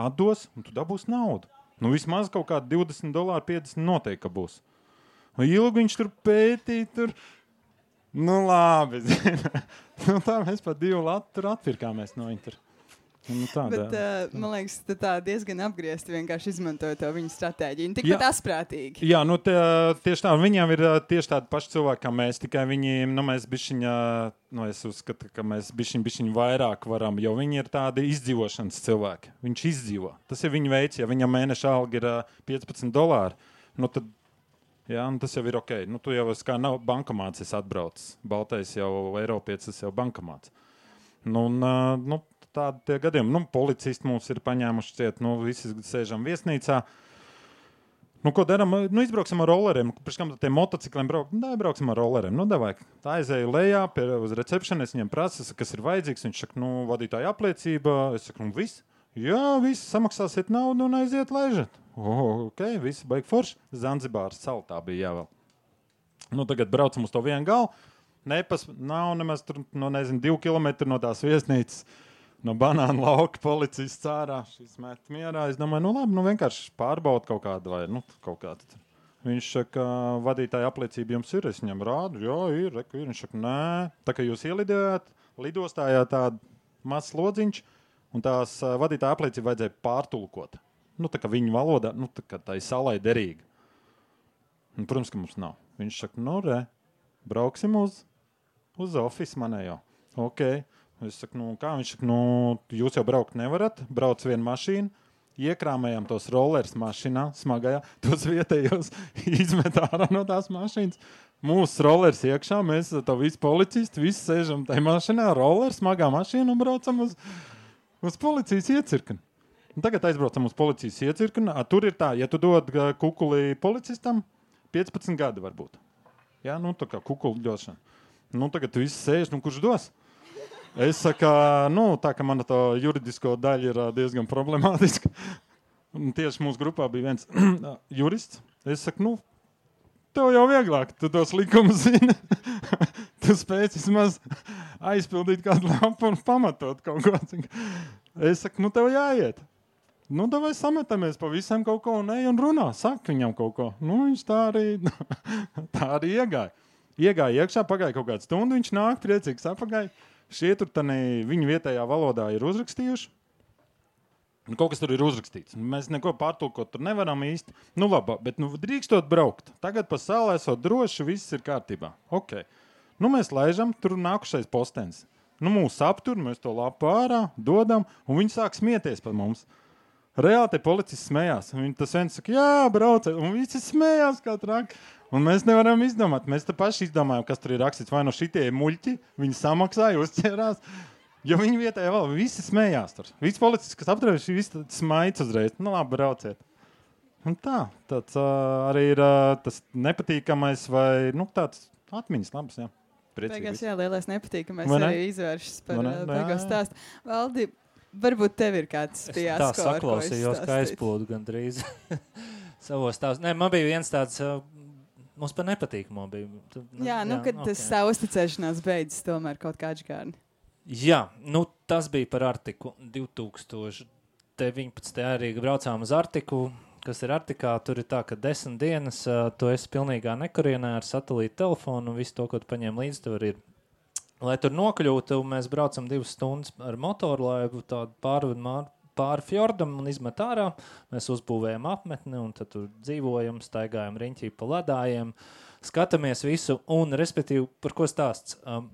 atdos, un tu dabūs naudu. Nu, vismaz kaut kādi divdesmit dolāri, piecdesmit noteikti, ka būs. Ilgi viņš tur pētīja, tur, nu labi, nu tā mēs pat divu latu tur atpirkāmies no viņa tur. Nu, tā, Bet, uh, man liekas, tā diezgan apgriezti vienkārši izmantoja to viņa stratēģiju. Tik pat asprātīgi. Jā, nu tie, tieši tā, viņiem ir tieši tādi paši cilvēki kā mēs, tikai viņi, nu mēs bišķiņa, nu es uzskatu, ka mēs bišķiņ, bišķiņ vairāk varam, jo viņi ir tādi izdzīvošanas cilvēki. Viņš izdzīvo. Tas ir viņa veids, ja viņam mēneša alga ir piecpadsmit dolāri, nu tad jā, nu tas jau ir ok. Nu, tu jau kā nav bankomāts, es atbraucis. Baltais jau Eiropietis, tas jau bankomāts. Nu, un, nu, tādi tie gadiem. Nu, policisti mums ir paņēmuši ciet, nu, visi sēžam viesnīcā. Nu, ko daram? Nu, izbrauksim ar rolleriem. Pirms kam tie motocikliem brauk? Nu, da, brauksim ar rolleriem. Nu, davai. Tā aizēju lejā pie, uz recepšanu, es viņiem prasu, kas ir vajadzīgs. Viņš saka, nu, vadītāja apliecība. Es saku, nu, viss. Jā, viss, samaksāsiet naudu un aiziet laižat. Oh, ok, visi baigi forši. Zanzibāras saltā bija jāvēl. Nu, tagad braucam uz to vienu galu. Nepas, nav nemaz tur, nu, nezinu, divu kilometru no tās viesnīcas. No banāna lauka policists ārā. Šis met mierā. Es domāju, nu labi, nu vienkārši pārbaud kaut kādu vai, nu, kaut kādu. Viņš saka, vadītāja apliecība jums ir. Es viņam rādu, jā, ir, reku ir. Viņš saka, nē, tā kā jūs ielidojāt, lidostājā tādu mazs lodziņš, un tās vadītāja apliecība vajadzēja pārtulkot. Nu, tā kā viņu valodā, nu, tā kā tā ir salai derīga. Un, protams, ka mums nav. Viņš saka, nu, re, brauksim uz, uz office manējo. Ok. Es saku, nu, kā? Viņš saka, nu, jūs jau braukt nevarat, brauc vienu mašīnu, iekrāmējam tos rollers mašīnā, smagajā, tos vietējos izmet ārā no tās mašīnas. Mūsu rollers iekšā, mēs to visi policisti, visi sēžam tajā mašīnā, rollers, smagā mašīna un braucam uz, uz policijas iecirkni. Un tagad aizbraucam uz policijas iecirkni. Tur ir tā, ja tu dod kukuli policistam, piecpadsmit gadi varbūt. Jā, nu tā kā kukuli došana. Nu tagad tu visi sēž, nu kurš dos? Es saku, nu tā kā mana to juridisko daļa ir diezgan problemātiska. Un tieši mūsu grupā bija viens jurists. Es saku, nu, tev jau vieglāk, tu tos likumus zini. Tu spēc vismaz aizpildīt kādu lapu un pamatot kaut ko. Es saku, nu, tev jāiet. Nu, davai sametamies pa visam kaut ko un ej un runā. Saka viņam kaut ko. Nu, viņš tā arī, tā arī iegāja. Iegāja iekšā, pagāja kaut kādu stundu, viņš nāk priecīgs apagāja. Šie tur tani viņu vietējā valodā ir uzrakstījuši. Nu, kaut kas tur ir uzrakstīts. Mēs neko pārtulkot tur nevaram īsti. Nu, labi, bet nu, drīkstot braukt. Tagad pa salu esot droši, viss ir kārtībā. Ok. Nu, mēs laižam, tur nākušais postens. Nu, mūs aptur, mēs to lapu ārā, dodam, un viņi sāk smieties par mums. Reāli te policists smējās. Viņi tas viens saka, jā, brauciet, un visi smējās kā traki. Un mēs nevaram izdomāt. Mēs te paši izdomājam, kas tur ir rakstīts. Vai no šitie muļķi, viņi samaksāja, uzķērās. Jo viņi vietējā vēl, visi smējās tur. Visi policisti, kas apturējuši, visi smaids uzreiz. Nu labi, brauciet. Un tā, tāds uh, arī ir uh, tas nepatīkamais vai, nu, tāds atmiņas labs, jā. Priecīgi. Beigās, jā, lielais nepatīkamais Vai ne? arī izvēršas par Vai ne? uh, beigās stāstu. Valdi, varbūt tev ir kāds fiasko, tā saklausījos, ka aizplūdu gandrīz savos stāstus. Nē, man bija viens tāds, uh, mums par nepatīkamo bija. Tu, Jā, nu, jā, kad okay. tas sausticēšanās beidzas tomēr kaut kā atžgārni. Jā, nu tas bija par Artiku divtūkstoš deviņpadsmitajā arī braucām uz Artiku, kas ir Artikā, tur ir tā, ka desmit dienas uh, tu esi pilnīgā nekurienē ar satelītu telefonu un visu to, ko tu paņem līdzi, tur ir. Lai tur nokļūtu, mēs braucam divas stundas ar motoru, lai tādu pāri, pāri fjordam un izmet ārā. Mēs uzbūvējam apmetni un tad tur dzīvojam, staigājam riņķī pa ledājiem, skatāmies visu un, respektīvi, par ko stāsts? Um,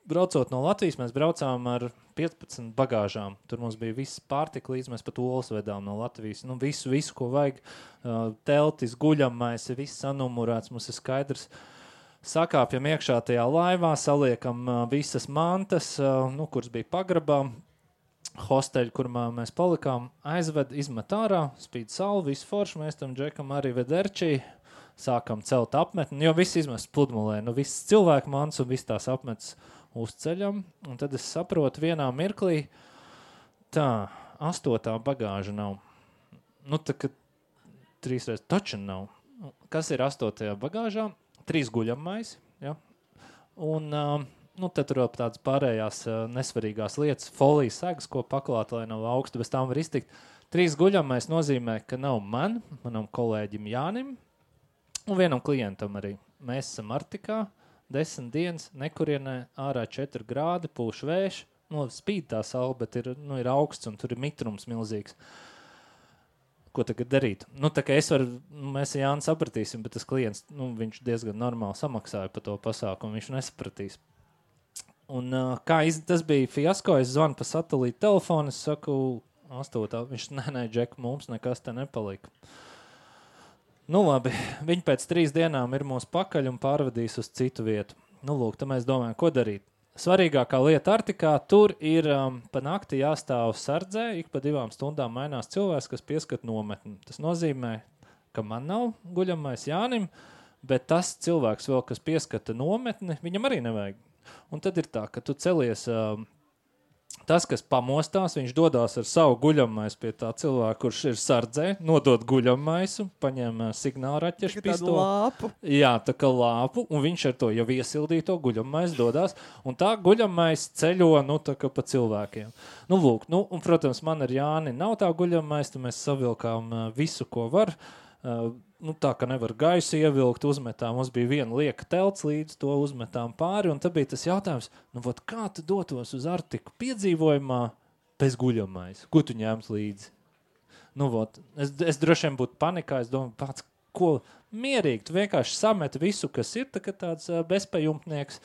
Braucot no Latvijas, mēs braucām ar piecpadsmit bagāžām. Tur mums bija viss pārtika līdz, mēs pat olas vedām no Latvijas. Nu, visu, visu, ko vajag. Uh, teltis, guļamais, viss sanumurēts, mums ir skaidrs. Sakāpjam iekšā tajā laivā, saliekam uh, visas mantas, uh, nu, kuras bija pagrabā. Hosteļi, kurā mēs palikām, aizved, izmet ārā, spīd salu, visu foršu, mēs tam džekam arī vederčī. Sākam celt apmetni, jo viss izmest pludmalē. Nu, viss cilvēku mans un viss tās apmetas uzceļam, un tad es saprotu vienā mirklī, tā, astotā bagāža nav. Nu, tā, ka trīsreiz taču nav. Kas ir astotajā bagāžā? Trīs guļamais, ja? Un, uh, nu, tad tur vēl tādas pārējās uh, nesvarīgās lietas, folijas segas, ko paklāt, lai nav augstu, bez tām var iztikt. Trīs guļamais nozīmē, ka nav man, manam kolēģim Jānim, un vienam klientam arī. Mēs esam Artikā, desmit dienas, nekurienē, ārā četri grādi, pūš vējš, nu, spīd tā saule, bet ir, nu, ir augsts un tur ir mitrums milzīgs. Ko tagad darīt? Nu, tā kā es varu, mēs ar Jānu sapratīsim, bet tas klients, nu, viņš diezgan normāli samaksāja par to pasākumu, viņš nesapratīs. Un uh, kā iz, tas bija fiasko, es zvanu pa satelītu telefonu, es saku, astotā, viņš, nē, nē, Džek, mums nekas te nepalika. Nu labi, viņi pēc trīs dienām ir mūs pakaļ un pārvadīs uz citu vietu. Nu lūk, tad mēs domājam, ko darīt. Svarīgākā lieta Artikā, tur ir um, pa nakti jāstāv sardzē, ik pa divām stundām mainās cilvēks, kas pieskat nometni. Tas nozīmē, ka man nav guļamais Jānim, bet tas cilvēks vēl, kas pieskata nometni, viņam arī nevajag. Un tad ir tā, ka tu celies... Um, Tas, kas pamostās, viņš dodās ar savu guļamais pie tā cilvēka, kurš ir sardzē, nodod guļamaisu, paņem signālu raķešu pistoli. Lāpu. Jā, tā kā lāpu, un viņš ar to jau iesildīto guļamaisu dodās, un tā guļamais ceļo, nu, tā kā pa cilvēkiem. Nu, lūk, nu, un, protams, man ar Jāni nav tā guļamais, tad mēs savilkām uh, visu, ko var. Uh, nu, tā, ka nevar gaisu ievilkt, uzmetām, mums bija viena lieka telts līdz, to uzmetām pāri, un tad bija tas jautājums, nu, vot, kā tu dotos uz Artiku piedzīvojumā bez guļamais? Ko tu ņēms līdzi? Nu, vot, es, es droši vien būtu panikā, es domāju, pats, ko mierīgi, tu vienkārši samet visu, kas ir, tā, ka tāds uh, bezpajumtnieks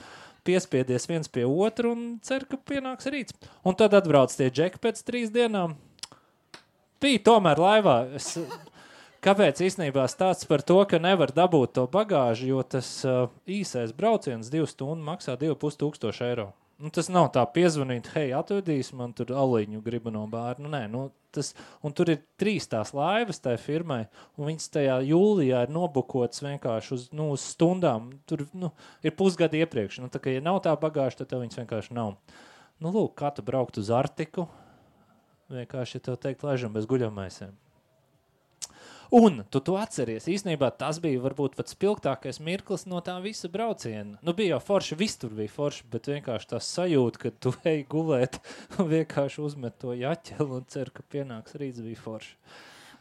piespiedies viens pie otru un cer, ka pienāks rīts. Un tad atbrauc tie džeki pēc trīs dienām. Bija tomēr laivā. Es, Kāpēc īstenībā stāsts par to, ka nevar dabūt to bagāžu, jo tas uh, īsais brauciens divu stundu maksā divi pus tūkstoši eiro. Nu, tas nav tā piezvanīt, hei, atvedīs, man tur aliņu gribu no bāra. Nu, nē, nu, tas, un tur ir trīs tās laivas tai firmai, un viņas tajā jūlijā ir nobukotas vienkārši uz, nu, uz stundām. Tur nu, ir pusgadi iepriekš. Nu, tā kā, ja nav tā bagāža, tad tev viņas vienkārši nav. Nu, lūk, kā tu braukt uz Artiku, vienkārši, ja tev teikt, laižam bez guļamaisiem. Un tu to atceries. Īstenībā tas bija varbūt pat spilgtākais mirklis no tā visa brauciena. Nu, bija jau forši, viss tur bija forši, bet vienkārši tā sajūta, ka tu ej gulēt un vienkārši uzmet to jaķeli un cer, ka pienāks rīts, bija forši.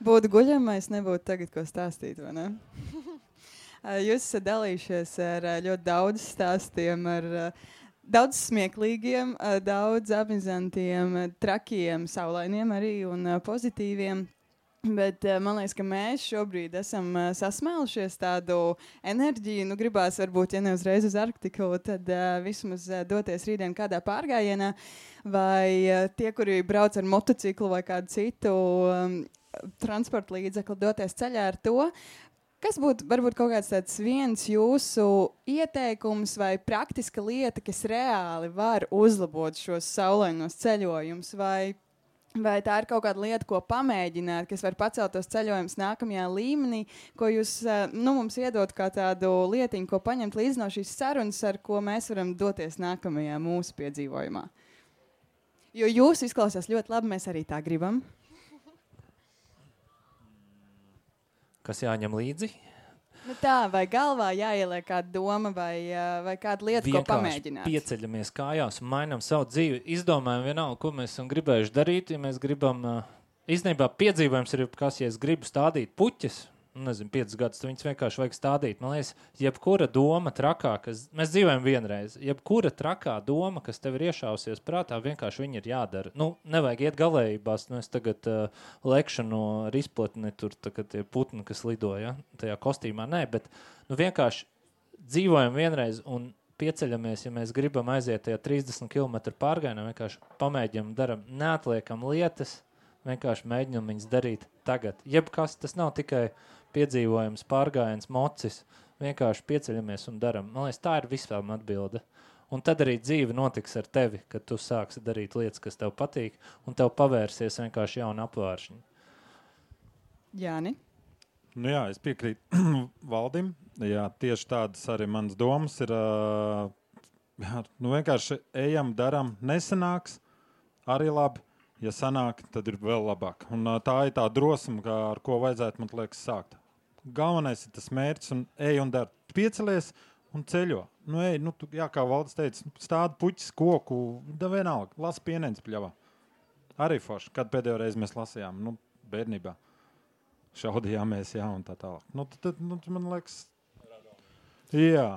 Būtu guļamais, nebūtu tagad, ko stāstīt, vai ne? Jūs esat dalījušies ar ļoti daudz stāstiem, ar daudz smieklīgiem, daudz apmizantiem, trakiem, saulainiem arī un pozitīviem. Bet man liekas, ka mēs šobrīd esam sasmēlušies tādu enerģiju. Nu, gribās varbūt, ja ne uzreiz uz Arktiku, tad uh, vismaz uh, doties rītdien kādā pārgājienā. Vai uh, tie, kuri brauc ar motociklu vai kādu citu um, transporta līdzekli, doties ceļā ar to. Kas būtu varbūt kaut kāds tāds viens jūsu ieteikums vai praktiska lieta, kas reāli var uzlabot šos saulainos ceļojumus? Vai Vai tā ir kaut kāda lieta, ko pamēģināt, kas var pacelt tos ceļojumus nākamajā līmenī, ko jūs nu, mums iedot kā tādu lietiņu, ko paņemt līdzi no šīs sarunas, ar ko mēs varam doties nākamajā mūsu piedzīvojumā? Jo jūs izklausās ļoti labi, mēs arī tā gribam. Kas jāņem līdzi? Nu tā, vai galvā jāieliek kāda doma vai, vai kāda lieta, vienkārši ko pamēģināt? Pieceļamies kājās un mainām savu dzīvi. Izdomājam vienalga, ko mēs esam gribējuši darīt. Ja mēs gribam, īstenībā piedzīvojums ir, kas, ja es gribu stādīt puķes, nezinu, piecus gadus, viņas vienkārši vajag stādīt. Man liekas, jebkura doma trakā, kas, mēs dzīvojam vienreiz, jebkura trakā doma, kas tev ir iešausies prātā, vienkārši viņi ir jādara. Nu, nevajag iet galējībās, nu es tagad uh, lekšu no izplatni, tur tagad tie putni, kas lidoja, tajā kostīmā, nē, bet nu vienkārši dzīvojam vienreiz un pieceļamies, ja mēs gribam aiziet tajā trīsdesmit kilometru pārgājienā, vienkārši pamēģinam, daram, neatliekam lietas, vienkārši mēģinam viņas darīt tagad. Jebkas, tas nav tikai piedzīvojums, pārgājiens, mocis, vienkārši pieceļamies un daram. Man liekas, tā ir visām atbilde. Un tad arī dzīve notiks ar tevi, kad tu sāksi darīt lietas, kas tev patīk, un tev pavērsies vienkārši jauna apvāršņa. Jāni? Nu jā, es piekrītu Valdim. Jā, tieši tādas arī manas domas ir. Jā, nu vienkārši ejam, daram, nesanāks, arī labi. Ja sanāk, tad ir vēl labāk. Un tā ir tā drosme, ar ko vajadzētu, man liekas, sākt. Galvenais ir tas mērķis un ej un dar. Piecelies un ceļo. Nu ej, nu, tu, jā, kā Valdis teica, stāda puķis, koku, da vienalga, lasa pieneņas pļavā. Arī forši, kad pēdējo reizi mēs lasījām, nu, bērnībā. Šaudījāmies, jā, un tā tālāk. Nu, tad, nu, man liekas, jā.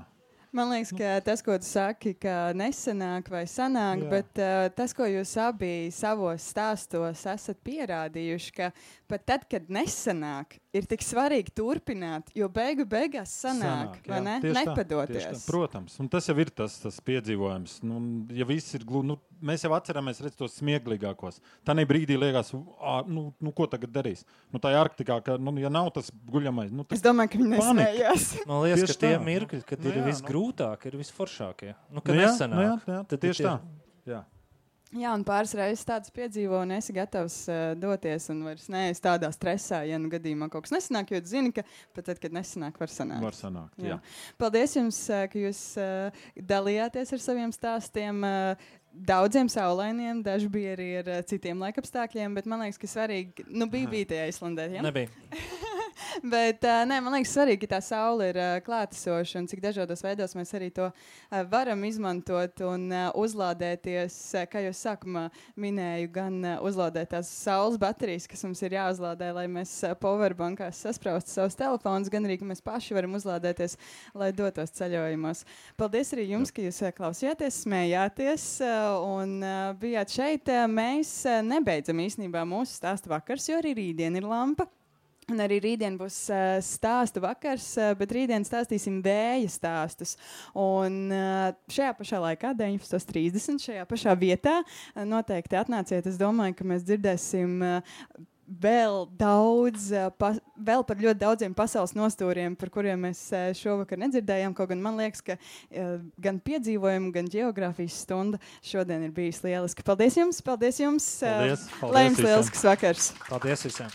Man liekas, ka tas, ko tu saki, ka nesanāk vai sanāk, jā. Bet uh, tas, ko jūs abi savos stāstos esat pierādījuši, ka pat tad, kad nesanāk, ir tik svarīgi turpināt, jo beigu beigās sanāk, sanāk vai ne? Nepadoties. Tā, protams, un tas jau ir tas, tas piedzīvojums. Nu, ja viss ir glūdi, nu, mēs jau atceramies redz tos smieklīgākos. Tanī brīdī liekas, nu, nu, ko tagad darīs? Nu, tā ir Arktikā, ka, nu, ja nav tas guļamais, nu, es domāju, ka viņi nesmējās. Man liekas, tieši ka tie tā. Mirkļi, kad nu, ir jā, visgrūtāk, ir visforšākie. Nu, kad nu, jā, nesanāk. Nu, jā, jā, tad tieši tie... tā. Jā. Jā, un pāris reizes tāds piedzīvo un esi gatavs uh, doties un vairs neesi tādā stresā, ja nu gadījumā kaut kas nesanāk, jo tu zini, ka pat tad, kad nesanāk, var sanākt. Var sanākt, jā. jā. Paldies jums, uh, ka jūs uh, dalījāties ar saviem stāstiem. Uh, Daudziem saulainiem, daži bija arī ar uh, citiem laikapstākļiem, bet man liekas, ka svarīgi, nu bija bija tajā Islandē, ja? Nebija. Bet uh, nē, man liekas svarīgi, ka tā saule ir uh, klātesoša un cik dažādos veidos mēs arī to uh, varam izmantot un uh, uzlādēties, uh, kā jau sākumā minēju, gan uh, uzlādēt tās saules baterijas, kas mums ir jāuzlādē, lai mēs uh, powerbankās saspraustu savus telefonus, gan arī, ka mēs paši varam uzlādēties, lai dotos ceļojumos. Paldies arī jums, ka jūs uh, klausījāties, smējāties uh, un uh, bijāt šeit. Uh, mēs uh, nebeidzam īstenībā mūsu stāstu vakars, jo arī rītdien ir lampa. Un arī rītdien būs uh, stāstu vakars, uh, bet rītdien stāstīsim vēja stāstus. Un uh, šajā pašā laikā, deviņpadsmit trīsdesmit, šajā pašā vietā, uh, noteikti atnāciet. Es domāju, ka mēs dzirdēsim uh, vēl daudz, uh, pa, vēl par ļoti daudziem pasaules nostūriem, par kuriem mēs uh, šovakar nedzirdējām. Kaut gan man liekas, ka uh, gan piedzīvojumu, gan geogrāfijas stunda šodien ir bijis lieliski. Paldies jums! Paldies jums! Paldies, paldies Lai jums lielisks vakars! Paldies visiem!